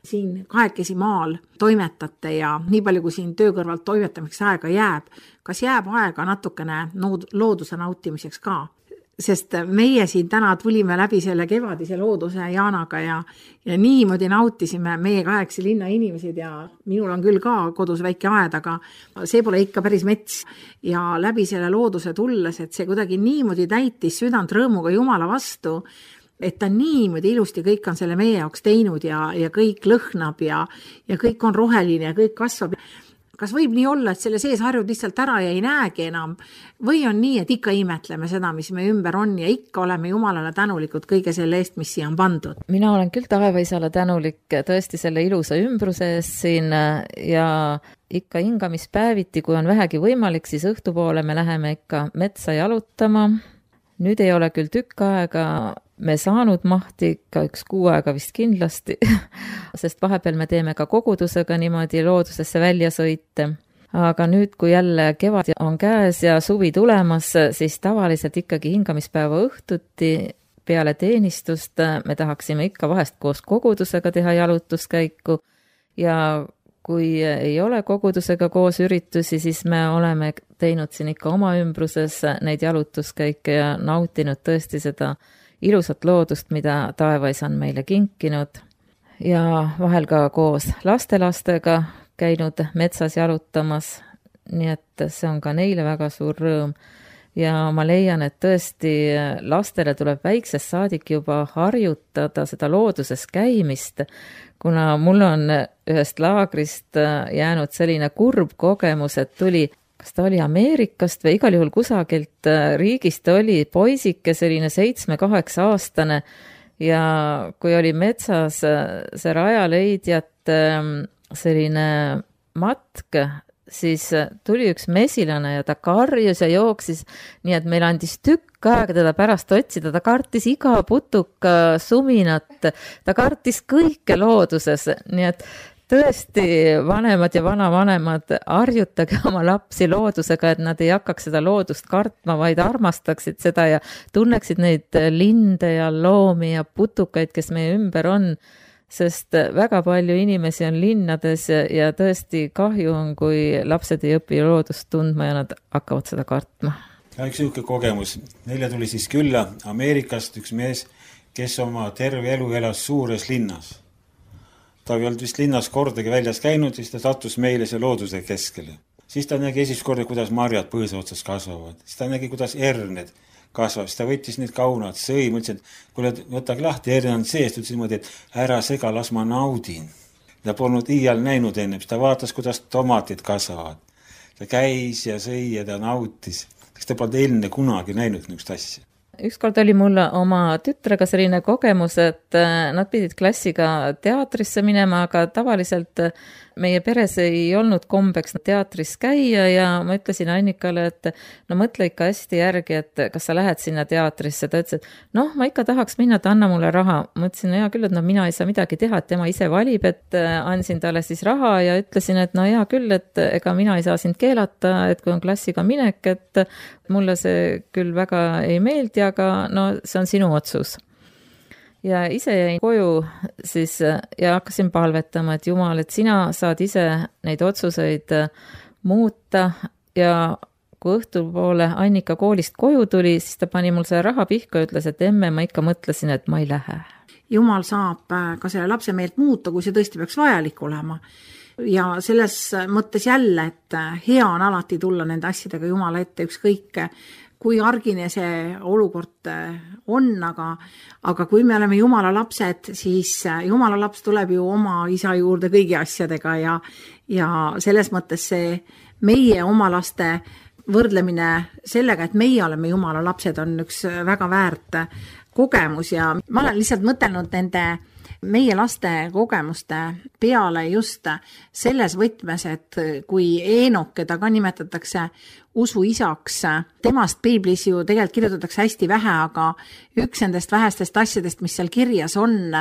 Speaker 2: siin kahekesi maal toimetate ja nii palju, kui siin töö kõrvalt toimetamiseks aega jääb, kas jääb aega natukene looduse nautimiseks ka? Sest meie siin täna tulime läbi selle kevadise looduse Jaanaga ja niimoodi nautisime meie kahekesi linna inimesed ja minul on küll ka kodus väike aed, aga see pole ikka päris mets ja läbi selle looduse tulles, et see kuidagi niimoodi täitis südant rõõmuga Jumala vastu, et ta niimoodi ilusti kõik on selle meie jaoks teinud ja kõik lõhnab ja kõik on roheline ja kõik kasvab. Kas võib nii olla, et selle sees harjud lihtsalt ära ja ei näegi enam? Või on nii, et ikka imetleme seda, mis me ümber on ja ikka oleme Jumalale tänulikud kõige selle eest, mis siia on pandud?
Speaker 3: Mina olen küll taevaisale tänulik tõesti selle ilusa ümbruse eest siin ja ikka hingamispäeviti, kui on vähegi võimalik, siis õhtupoole me läheme ikka metsa jalutama. Nüüd ei ole küll tükk aega me saanud mahti, ka 1 kuu aega vist kindlasti, sest vahepeal me teeme ka kogudusega niimoodi loodusesse välja sõite. Aga nüüd, kui jälle kevad on käes ja suvi tulemas, siis tavaliselt ikkagi hingamispäeva õhtuti peale teenistust me tahaksime ikka vahest koos kogudusega teha jalutuskäiku ja kui ei ole kogudusega koos üritusi, siis me oleme teinud siin ikka oma ümbruses neid jalutuskäike ja nautinud tõesti seda ilusat loodust, mida taevaisa on meile kinkinud ja vahel ka koos lastelastega käinud metsas jalutamas, nii et see on ka neile väga suur rõõm. Ja ma leian, et tõesti lastele tuleb väiksest saadik juba harjutada seda looduses käimist, kuna mul on ühest laagrist jäänud selline kurb kogemus, et tuli, kas ta oli Ameerikast või igal juhul kusagilt riigist oli poisike, selline 7-8 aastane ja kui oli metsas see rajaleidjat selline matk, siis tuli üks mesilane ja ta karjus ja jooksis, nii et meil andis tükk aega teda pärast otsida, ta kartis iga putuka suminat, ta kartis kõike looduses, nii et tõesti vanemad ja vanavanemad harjutage oma lapsi loodusega, et nad ei hakkaks seda loodust kartma, vaid armastaksid seda ja tunneksid neid linde ja loomi ja putukaid, kes meie ümber on, sest väga palju inimesi on linnades ja tõesti kahju on, kui lapsed ei õpi loodust tundma ja nad hakkavad seda kartma.
Speaker 4: Üks niisugune kogemus. Neile tuli siis külla Ameerikast üks mees, kes oma terve elu elas suures linnas. Ta ei olnud vist linnas kordagi väljas käinud, siis ta sattus meile see looduse keskele. Siis ta nägi esimest korda, kuidas marjad põõsa otsas kasvavad. Siis ta nägi, kuidas erned kasvab, siis ta võttis need kaunad, sõi, mõtlesin, et kuule, võtagi lahti, erne on seest, ütlesin niimoodi, et ära sega, las ma naudin. Ta polnud iial näinud enne, siis ta vaatas, kuidas tomatid kasvavad. Ta käis ja sõi ja ta nautis. Kas ta polnud enne kunagi näinud niisugust asja?
Speaker 3: Ükskord oli mul oma tütrega selline kogemus, et nad pidid klassiga teatrisse minema, aga tavaliselt meie peres ei olnud kombeks teatris käia ja ma ütlesin Annikale, et no mõtle ikka hästi järgi, et kas sa lähed sinna teatrisse. Ta ütles, et ma ikka tahaks minna, et anna mulle raha. Ma ütlesin, hea küll, et mina ei saa midagi teha, et tema ise valib, et andsin talle siis raha ja ütlesin, et hea küll, et ega mina ei saa sind keelata, et kui on klassiga minek, et mulle see küll väga ei meeldi, aga see on sinu otsus. ja ise jäin koju siis ja hakkasin palvetama, et Jumal, et sina saad ise neid otsuseid muuta ja kui õhtupoole Annika koolist koju tuli, siis ta pani mul selle raha pihku ja ütles, et emme, ma ikka mõtlesin, et ma ei lähe.
Speaker 2: Jumal saab ka selle lapse meelt muuta, kui see tõesti peaks vajalik olema. Ja selles mõttes jälle, et hea on alati tulla nende asjadega Jumala ette, ükskõik kui argine see olukord on, aga kui me oleme Jumala lapsed, siis Jumala laps tuleb ju oma isa juurde kõigi asjadega ja selles mõttes see meie oma laste võrdlemine sellega, et meie oleme Jumala lapsed, on üks väga väärt kogemus ja ma olen lihtsalt mõtelnud nende meie laste kogemuste peale just selles võtmes, et kui Eenok, keda ka nimetatakse usuisaks, temast piiblis ju tegelikult kirjutatakse hästi vähe, aga üks nendest vähestest asjadest, mis seal kirjas on,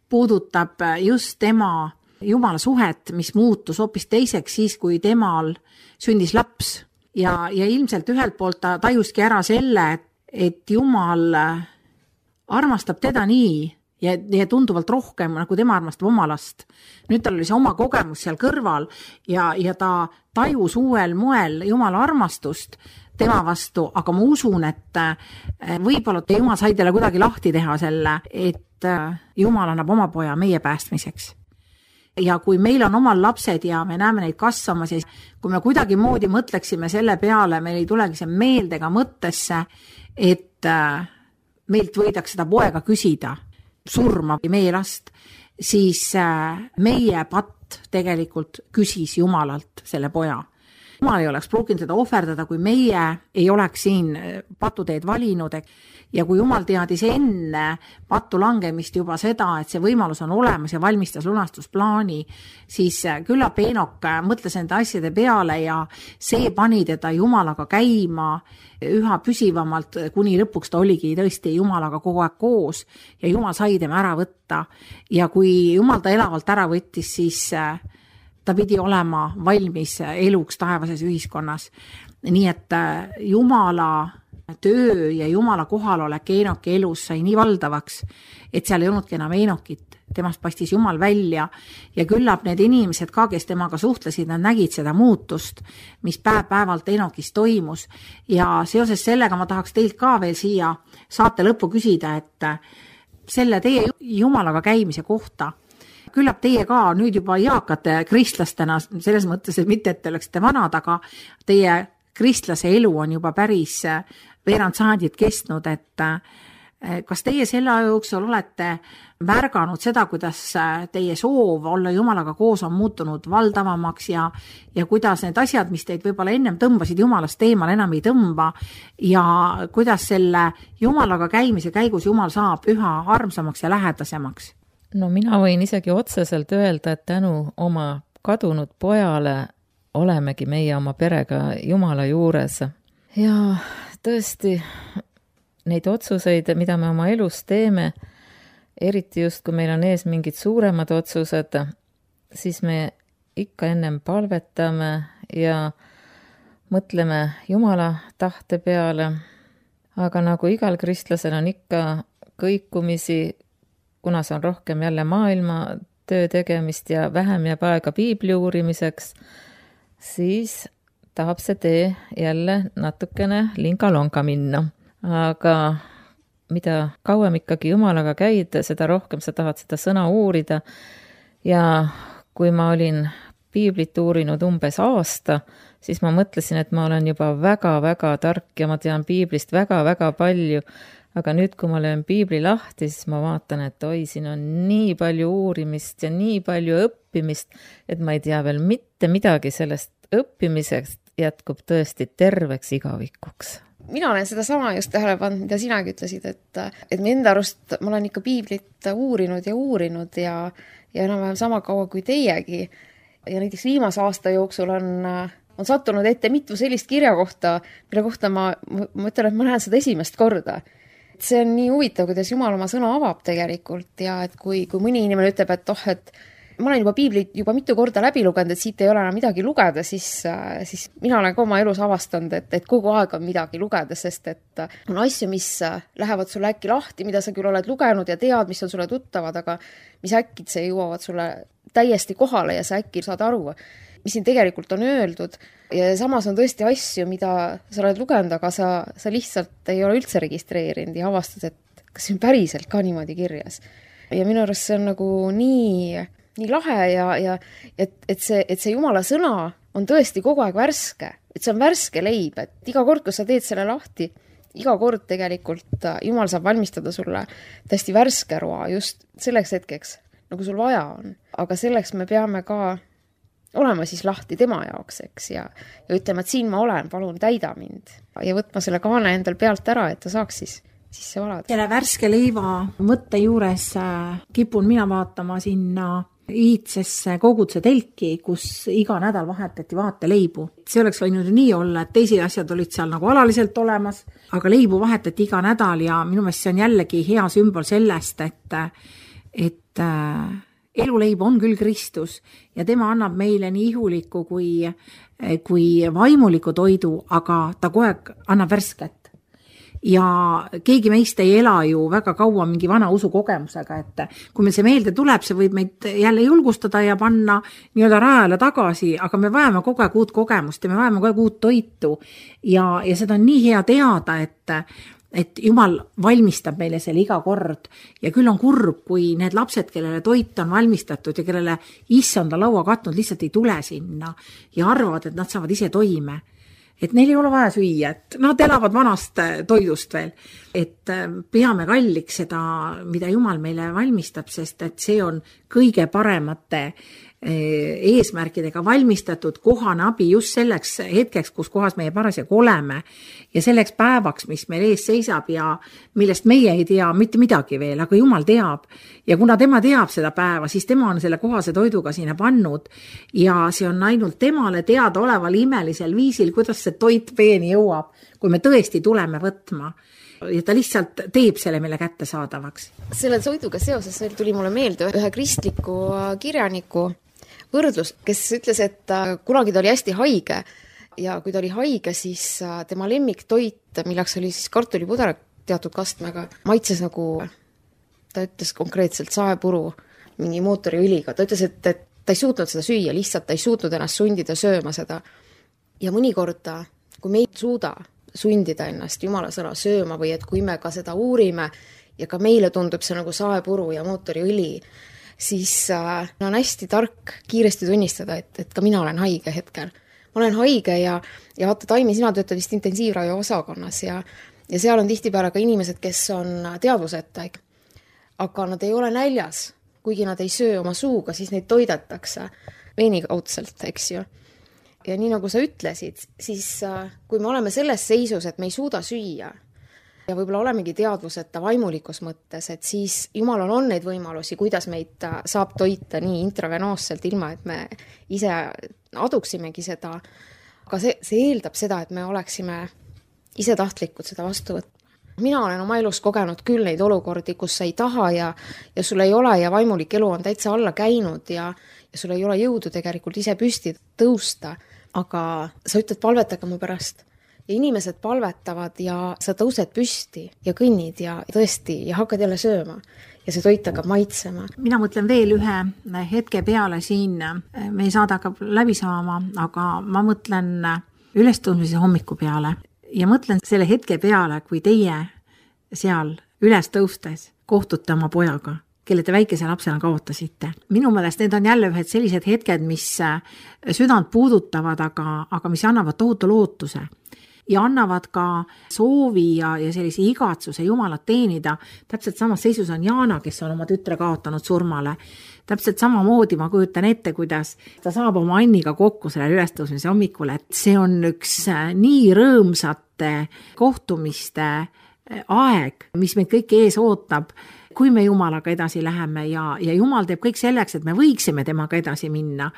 Speaker 2: puudutab just tema Jumala suhet, mis muutus hoopis teiseks siis, kui temal sündis laps. Ja ilmselt ühelt poolt ta tajuski ära selle, et Jumal armastab teda nii ja tunduvalt rohkem, nagu tema armastab oma last. Nüüd tal oli see oma kogemus seal kõrval ja ta tajus uuel moel Jumala armastust tema vastu, aga ma usun, et võib-olla Jumal sai talle kuidagi lahti teha selle, et Jumal annab oma poja meie päästmiseks. Ja kui meil on omal lapsed ja me näeme neid kasvama, siis kui me kuidagi moodi mõtleksime selle peale, meil ei tulegi see meeldega mõttesse, et meilt võidaks seda poega küsida, surma või meie last, siis meie patt tegelikult küsis Jumalalt selle poja. Jumal ei oleks pruukinud seda ohverdada, kui meie ei oleks siin patuteed valinud. Ja kui Jumal teadis enne pattu langemist juba seda, et see võimalus on olemas ja valmistas lunastusplaani, siis küllap Eenok mõtles nende asjade peale ja see pani teda Jumalaga käima üha püsivamalt, kuni lõpuks ta oligi tõesti Jumalaga kogu aeg koos ja Jumal sai tema ära võtta. Ja kui Jumal ta elavalt ära võttis, siis ta pidi olema valmis eluks taevases ühiskonnas. Nii et Jumala töö ja Jumala kohalolek Eenoki elus sai nii valdavaks, et seal ei olnudki enam Eenokit, temast paistis Jumal välja ja küllap need inimesed ka, kes temaga suhtlesid, nad nägid seda muutust, mis päev-päevalt Eenokis toimus ja seoses sellega ma tahaks teilt ka veel siia saate lõppu küsida, et selle teie Jumalaga käimise kohta, küllap teie ka nüüd juba eakate kristlastena, selles mõttes, et mitte, et te oleksite vanad, aga teie kristlase elu on juba päris veerand sajandit kestnud, et kas teie selle aja jooksul olete märganud seda, kuidas teie soov olla Jumalaga koos on muutunud valdavamaks ja kuidas need asjad, mis teid võib-olla ennem tõmbasid Jumalast eemal, enam ei tõmba ja kuidas selle Jumalaga käimise käigus Jumal saab üha armsamaks ja lähedasemaks?
Speaker 3: No mina võin isegi otseselt öelda, et tänu oma kadunud pojale olemegi meie oma perega Jumala juures. Ja tõesti, neid otsuseid, mida me oma elus teeme, eriti just, kui meil on ees mingid suuremad otsused, siis me ikka ennem palvetame ja mõtleme Jumala tahte peale. Aga nagu igal kristlasel on ikka kõikumisi, kuna see on rohkem jälle maailma töö tegemist ja vähem jääb aega piibli uurimiseks, siis tahab see tee jälle natukene linga-longa minna. Aga mida kauem ikkagi Jumalaga käid, seda rohkem sa tahad seda sõna uurida. Ja kui ma olin piiblit uurinud umbes aasta, siis ma mõtlesin, et ma olen juba väga-väga tark ja ma tean piiblist väga-väga palju. Aga nüüd, kui ma löön piibli lahti, siis ma vaatan, et oi, siin on nii palju uurimist ja nii palju õppimist, et ma ei tea veel mitte midagi sellest õppimisest jätkub tõesti terveks igavikuks.
Speaker 6: Mina olen seda sama just tähele pannud, mida sinagi ütlesid, et me enda arust, ma olen ikka piiblit uurinud ja enam-vähem sama kaua kui teiegi. Ja näiteks viimase aasta jooksul on sattunud ette mitu sellist kirjakohta, mille kohta ma ütlen, et ma näen seda esimest korda. See on nii huvitav, kuidas Jumal oma sõna avab tegelikult ja et kui mõni inimene ütleb, et ma olen juba piiblit juba mitu korda läbi lugenud, et siit ei ole enam midagi lugeda, siis mina olen ka oma elus avastanud, et kogu aeg on midagi lugeda, sest et on asju, mis lähevad sulle äkki lahti, mida sa küll oled lugenud ja tead, mis on sulle tuttavad, aga mis äkitse jõuavad sulle täiesti kohale ja sa äkki saad aru, mis siin tegelikult on öeldud. Ja samas on tõesti asju, mida sa oled lugenud, aga sa lihtsalt ei ole üldse registreerinud ja avastad, et kas see on päriselt ka niimoodi kirjas. Ja minu arust see on nagu nii lahe ja et see Jumala sõna on tõesti kogu aeg värske. Et see on värske leib, et iga kord, kui sa teed selle lahti, iga kord tegelikult Jumal saab valmistada sulle täiesti värske roa just selleks hetkeks, nagu sul vaja on. Aga selleks me peame ka olema siis lahti tema jaoks, eks, ja ütlema, et siin ma olen, palun täida mind ja võtma selle kaane endal pealt ära, et ta saaks siis sisse valada.
Speaker 2: Selle värske leiva mõtte juures kipun mina vaatama sinna iidsesse koguduse telki, kus iga nädal vahetati vaateleibu. See oleks võinud nii olla, et teised asjad olid seal nagu alaliselt olemas, aga leibu vahetati iga nädal ja minu meelest see on jällegi hea sümbol sellest, et eluleib on küll Kristus ja tema annab meile nii ihuliku kui vaimuliku toidu, aga ta kogu aeg annab värsket. Ja keegi meist ei ela ju väga kaua mingi vana usukogemusega, et kui meil see meelde tuleb, see võib meid jälle julgustada ja panna nii-öelda rajale tagasi, aga me vajame kogu aeg uut kogemust ja me vajame kogu aeg uut toitu ja seda on nii hea teada, et Jumal valmistab meile selle iga kord ja küll on kurb, kui need lapsed, kellele toit on valmistatud ja kellele issanda laua katnud, lihtsalt ei tule sinna ja arvavad, et nad saavad ise toime. Et neil ei ole vaja süüa, et nad elavad vanast toidust veel. Et peame kalliks seda, mida Jumal meile valmistab, sest et see on kõige paremate eesmärkidega valmistatud kohane abi just selleks hetkeks, kus kohas meie parasjagu oleme ja selleks päevaks, mis meil ees seisab ja millest meie ei tea mitte midagi veel, aga Jumal teab ja kuna tema teab seda päeva, siis tema on selle kohase toiduga sinna pannud ja see on ainult temale teada oleval imelisel viisil, kuidas see toit peeni jõuab, kui me tõesti tuleme võtma ja ta lihtsalt teeb selle meile kättesaadavaks.
Speaker 6: Selle toiduga seoses tuli mulle meelde ühe kristliku kirjaniku võrdlus, kes ütles, et kunagi ta oli hästi haige ja kui ta oli haige, siis tema lemmiktoit, milleks oli siis kartulipuder teatud kastmega, maitses nagu, ta ütles konkreetselt saepuru mingi mootoriõliga. Ta ütles, et ta ei suutnud seda süüa, lihtsalt ta ei suutnud ennast sundida sööma seda. Ja mõnikord, kui me ei suuda sundida ennast Jumala sõna sööma või et kui me ka seda uurime ja ka meile tundub see nagu saepuru ja mootoriõli, siis on hästi tark kiiresti tunnistada, et ka mina olen haige hetkel. Ma olen haige ja vaata, Taimi, sina töötad vist intensiivravi osakonnas ja seal on tihtipeale ka inimesed, kes on teadvuseta, aga nad ei ole näljas, kuigi nad ei söö oma suuga, siis neid toidetakse veenikaudselt, eks ju. Ja nii nagu sa ütlesid, siis kui me oleme selles seisus, et me ei suuda süüa ja võib-olla olemegi teadvuseta vaimulikus mõttes, et siis Jumalal on neid võimalusi, kuidas meid saab toita nii intravenoosselt, ilma et me ise aduksimegi seda. Aga see eeldab seda, et me oleksime ise tahtlikud seda vastu võtma. Mina olen oma elus kogenud küll neid olukordi, kus sa ei taha ja sul ei ole ja vaimulik elu on täitsa alla käinud ja sul ei ole jõudu tegelikult ise püsti tõusta, aga sa ütled, palvetage mu pärast. Ja inimesed palvetavad ja sa tõused püsti ja kõnnid ja tõesti ja hakkad jälle sööma ja see toit hakkab maitsema.
Speaker 2: Mina mõtlen veel ühe hetke peale siin, me ei saada hakkab läbi saama, aga ma mõtlen ülestõusmise hommiku peale ja mõtlen selle hetke peale, kui teie seal üles tõustes kohtute oma pojaga, kelle te väikese lapsena kaotasite. Minu meelest need on jälle ühed sellised hetked, mis südant puudutavad, aga mis annavad tohutu lootuse ja annavad ka soovi ja sellise igatsuse Jumalat teenida. Täpselt samas seisus on Jaana, kes on oma tütre kaotanud surmale. Täpselt samamoodi ma kujutan ette, kuidas ta saab oma Anniga kokku selle ülestõusmise hommikul, et see on üks nii rõõmsate kohtumiste aeg, mis meid kõiki ees ootab, kui me Jumalaga edasi läheme ja Jumal teeb kõik selleks, et me võiksime temaga edasi minna.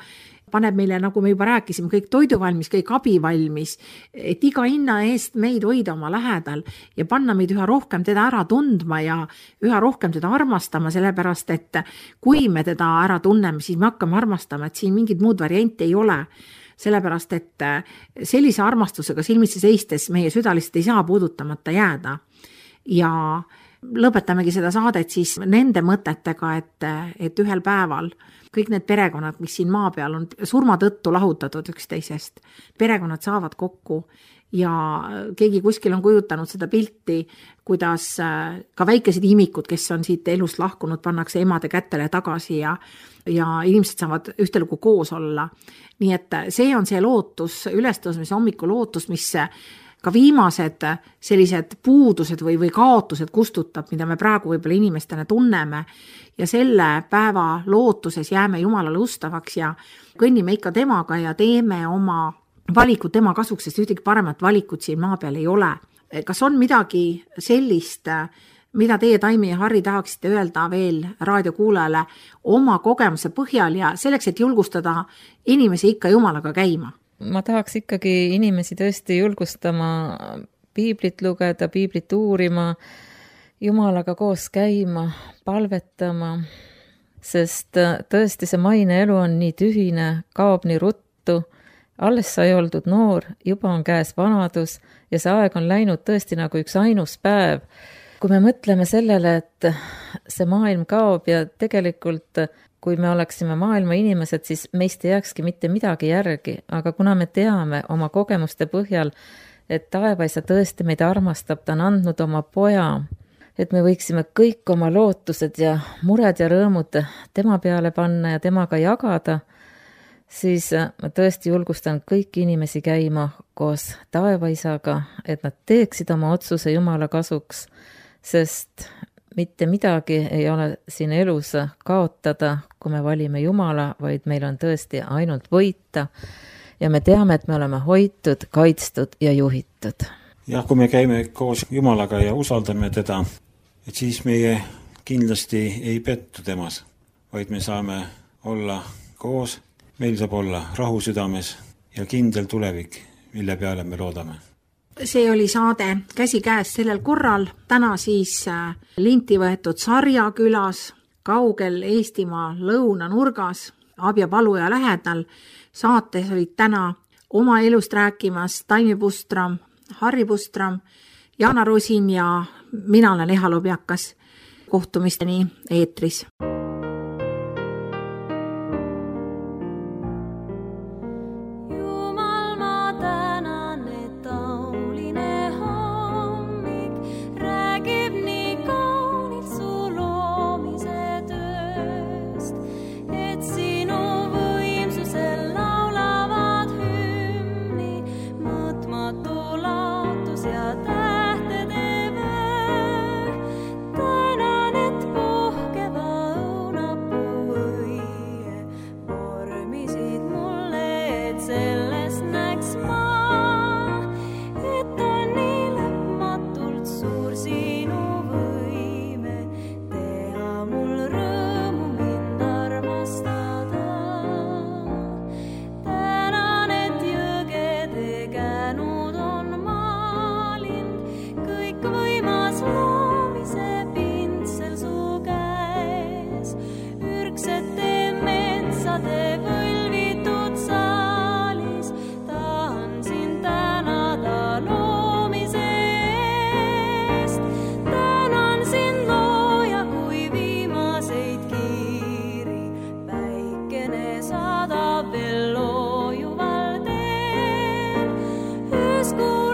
Speaker 2: paneb meile, nagu me juba rääkisime, kõik toidu valmis, kõik abi valmis, et iga hinna eest meid hoida oma lähedal ja panna meid üha rohkem teda ära tundma ja üha rohkem teda armastama, sellepärast et kui me teda ära tunneme, siis me hakkame armastama, et siin mingit muud varianti ei ole. Sellepärast, et sellise armastusega silmitsi seistes meie süda lihtsalt ei saa puudutamata jääda. Ja lõpetamegi seda saadet siis nende mõtetega, et ühel päeval kõik need perekonnad, mis siin maa peal on surma tõttu lahutatud üksteisest, perekonnad saavad kokku ja keegi kuskil on kujutanud seda pilti, kuidas ka väikesed imikud, kes on siit elust lahkunud, pannakse emade kätele tagasi ja inimesed saavad ühtelugu koos olla. Nii et see on see lootus, ülestõusmise hommiku lootus, mis ka viimased sellised puudused või kaotused kustutab, mida me praegu võib-olla inimestena tunneme ja selle päeva lootuses jääme Jumalale ustavaks ja kõnnime ikka temaga ja teeme oma valikut tema kasuks, sest ühtegi paremat valikut siin maa peal ei ole. Kas on midagi sellist, mida teie, Taimi ja Harri, tahaksite öelda veel raadiokuulajale oma kogemuse põhjal ja selleks, et julgustada inimesi ikka Jumalaga käima?
Speaker 3: Ma tahaks ikkagi inimesi tõesti julgustama piiblit lugeda, piiblit uurima, Jumalaga koos käima, palvetama, sest tõesti see maine elu on nii tühine, kaob nii ruttu, alles sai oldud noor, juba on käes vanadus ja see aeg on läinud tõesti nagu üks ainus päev. Kui me mõtleme sellele, et see maailm kaob ja tegelikult kui me oleksime maailma inimesed, siis meist ei jääkski mitte midagi järgi, aga kuna me teame oma kogemuste põhjal, et taevaisa tõesti meid armastab, ta on andnud oma poja, et me võiksime kõik oma lootused ja mured ja rõõmud tema peale panna ja temaga jagada, siis ma tõesti julgustan kõiki inimesi käima koos taevaisaga, et nad teeksid oma otsuse Jumala kasuks, sest mitte midagi ei ole siin elus kaotada, kui me valime Jumala, vaid meil on tõesti ainult võita ja me teame, et me oleme hoitud, kaitstud ja juhitud.
Speaker 4: Jah, kui me käime koos Jumalaga ja usaldame teda, et siis meie kindlasti ei pettu temas, vaid me saame olla koos, meil saab olla rahu südames ja kindel tulevik, mille peale me loodame.
Speaker 2: See oli saade Käsikäes sellel korral, täna siis linti võetud Sarja külas, kaugel Eestimaa lõunanurgas, Abja Paluja lähedal. Saates olid täna oma elust rääkimas Taimi Pustram, Harri Pustram, Jana Rosin ja mina olen Eha Lobjakas. Kohtumisteni eetris.
Speaker 5: School.